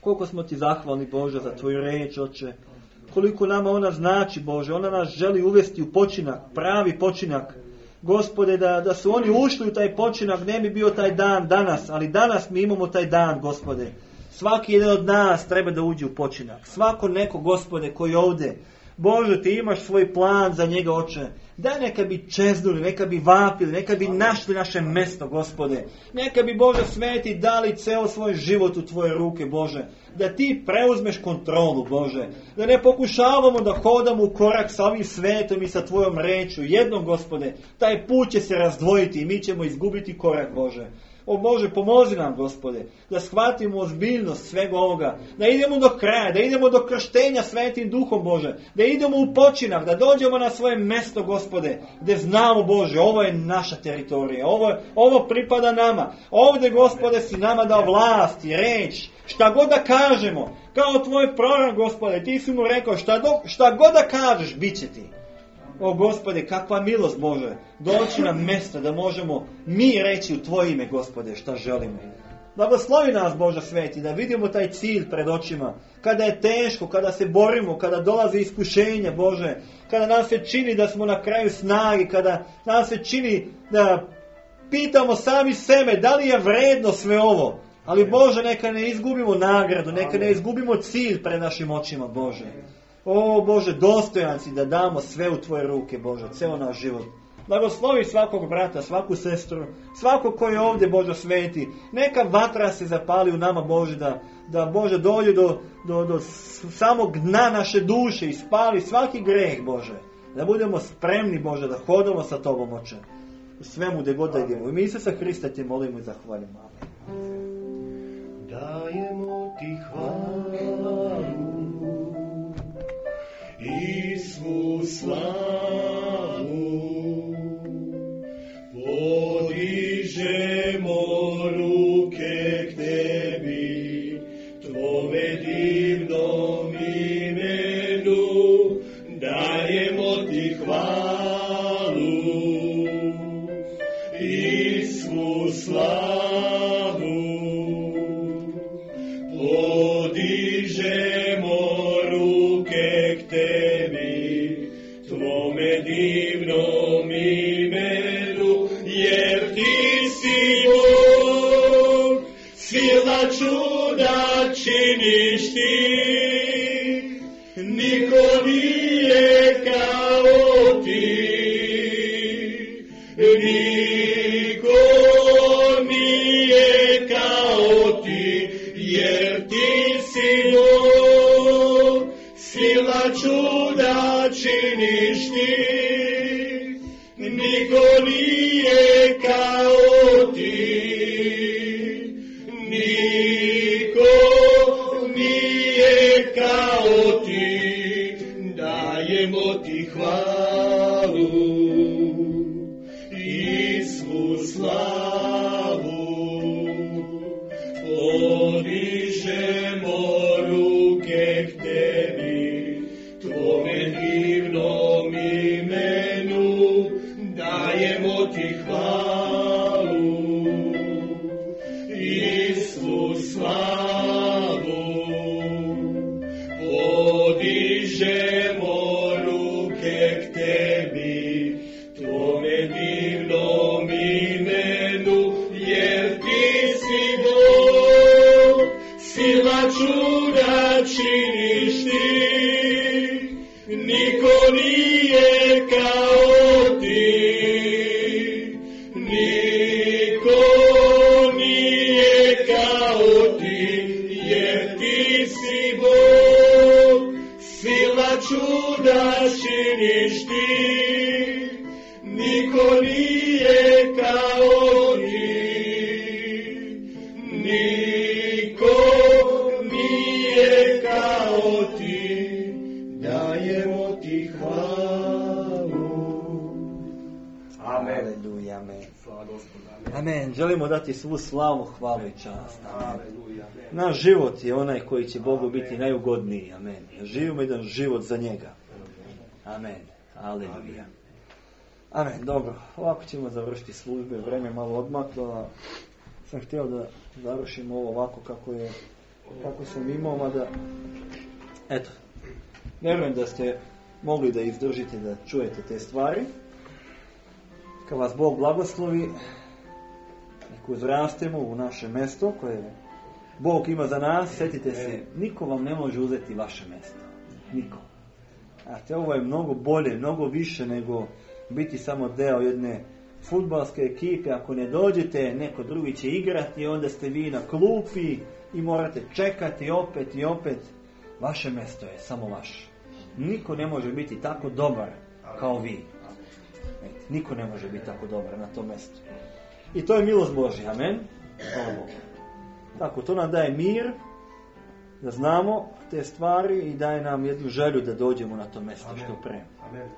koliko smo ti zahvalni, Bože, za tvoju riječ, Oče. Koliko nama ona znači, Bože. Ona nas želi uvesti u počinak, pravi počinak. Gospode, da, da su oni ušli u taj počinak, ne bi bio taj dan danas, ali danas mi imamo taj dan, Gospode. Svaki jedan od nas treba da uđe u počinak. Svako neko, Gospode, koji ovdje Bože, ti imaš svoj plan za njega, Oče. Da neka bi čeznuli, neka bi vapili, neka bi našli naše mjesto, Gospode. Neka bi, Bože sveti, dali ceo svoj život u tvoje ruke, Bože. Da ti preuzmeš kontrolu, Bože. Da ne pokušavamo da hodamo u korak sa ovim svetom i sa tvojom rečju. Jednom, Gospode, taj put će se razdvojiti i mi ćemo izgubiti korak, Bože. O Bože, pomozi nam, Gospode, da shvatimo ozbiljnost svega ovoga, da idemo do kraja, da idemo do krštenja Svetim Duhom, Bože, da idemo u počinak, da dođemo na svoje mjesto, Gospode, gdje znamo, Bože, ovo je naša teritorija, ovo, ovo pripada nama. Ovdje, Gospode, si nama dao vlast i reč, šta god da kažemo, kao tvoj prorok, Gospode, ti si mu rekao, šta, do, šta god da kažeš, bit će ti. O Gospode, kakva milost, Bože, doći na mjesto da možemo mi reći u tvoje ime, Gospode, šta želimo. Blagoslovi nas, Bože sveti, da vidimo taj cilj pred očima, kada je teško, kada se borimo, kada dolaze iskušenja, Bože, kada nam se čini da smo na kraju snage, kada nam se čini da pitamo sami sebe da li je vredno sve ovo. Ali, Bože, neka ne izgubimo nagradu, neka ne izgubimo cilj pred našim očima, Bože. O Bože, dostojan si da damo sve u tvoje ruke, Bože, ceo naš život. Blagoslovi svakog brata, svaku sestru, svako koji je ovdje, Bože sveti. Neka vatra se zapali u nama, Bože, da, da Bože dođe do, do, do samog dna naše duše i spali svaki greh, Bože. Da budemo spremni, Bože, da hodamo sa Tobom, Oče. U svemu gdje god da idemo. U ime Isusa Hrista te molimo i zahvalimo. Amen. Dajemo ti hvalu i svu slavu, podižemo ruke k tebi, tvome divnom imenu, dajemo ti hvalu i svu slavu, podižemo ruke k tebi, tvome divnom imenu, jer ti si Bog, sila čuda činiš ti, niko nije kao ti, niko nije kao ti, jer ti si Bog, sila čuda činiš ti, niko nije kao ti, niko nije kao ti, dajemo ti hvalu i svu slavu, podižemo ruke k tebi, tvome divnom imenu, dajemo ti hvalu i svu slavu, podižemo ruke k tebi, tvome divnom imenu, jer ti si Bog, sila čuda činiš ti, niko nije kao ti, niko nije kao ti, jer ti si Bog, sila čuda činiš ti, niko nije kao ti, niko nije kao ti, dajemo ti hvalu. Amen. Aleluja, amen. Amen. Želimo dati svu slavu, hvalu i čast. Amen. Naš život je onaj koji će Bogu biti najugodniji. Amen. Živimo jedan život za njega. Amen. Aleluja. Amen. Dobro. Ovako ćemo završiti službe. Vreme je malo odmaklo. Sam htio da završimo ovo ovako kako je, kako sam imao, mada eto, vjerujem da ste mogli da izdržite, da čujete te stvari. Kad vas Bog blagoslovi, nek uzrastemo u naše mjesto koje Bog ima za nas. Sjetite se, niko vam ne može uzeti vaše mjesto. Niko. Znate, ovo je mnogo bolje, mnogo više nego biti samo deo jedne fudbalske ekipe. Ako ne dođete, neko drugi će igrati, onda ste vi na klupi i morate čekati opet i opet. Vaše mjesto je samo vaše. Niko ne može biti tako dobar kao vi. Niko ne može biti tako dobar na tom mjestu. I to je milost Božja. Amen. Hvala Bogu. Tako, to nam daje mir, da znamo te stvari i daje nam jednu želju da dođemo na to mjesto što pre. Amen.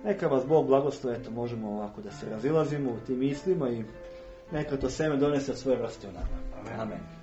Neka vas Bog blagoslovi, eto možemo ovako da se razilazimo u tim mislima i neka to seme donese svoje vrste u nama. Amen. Amen.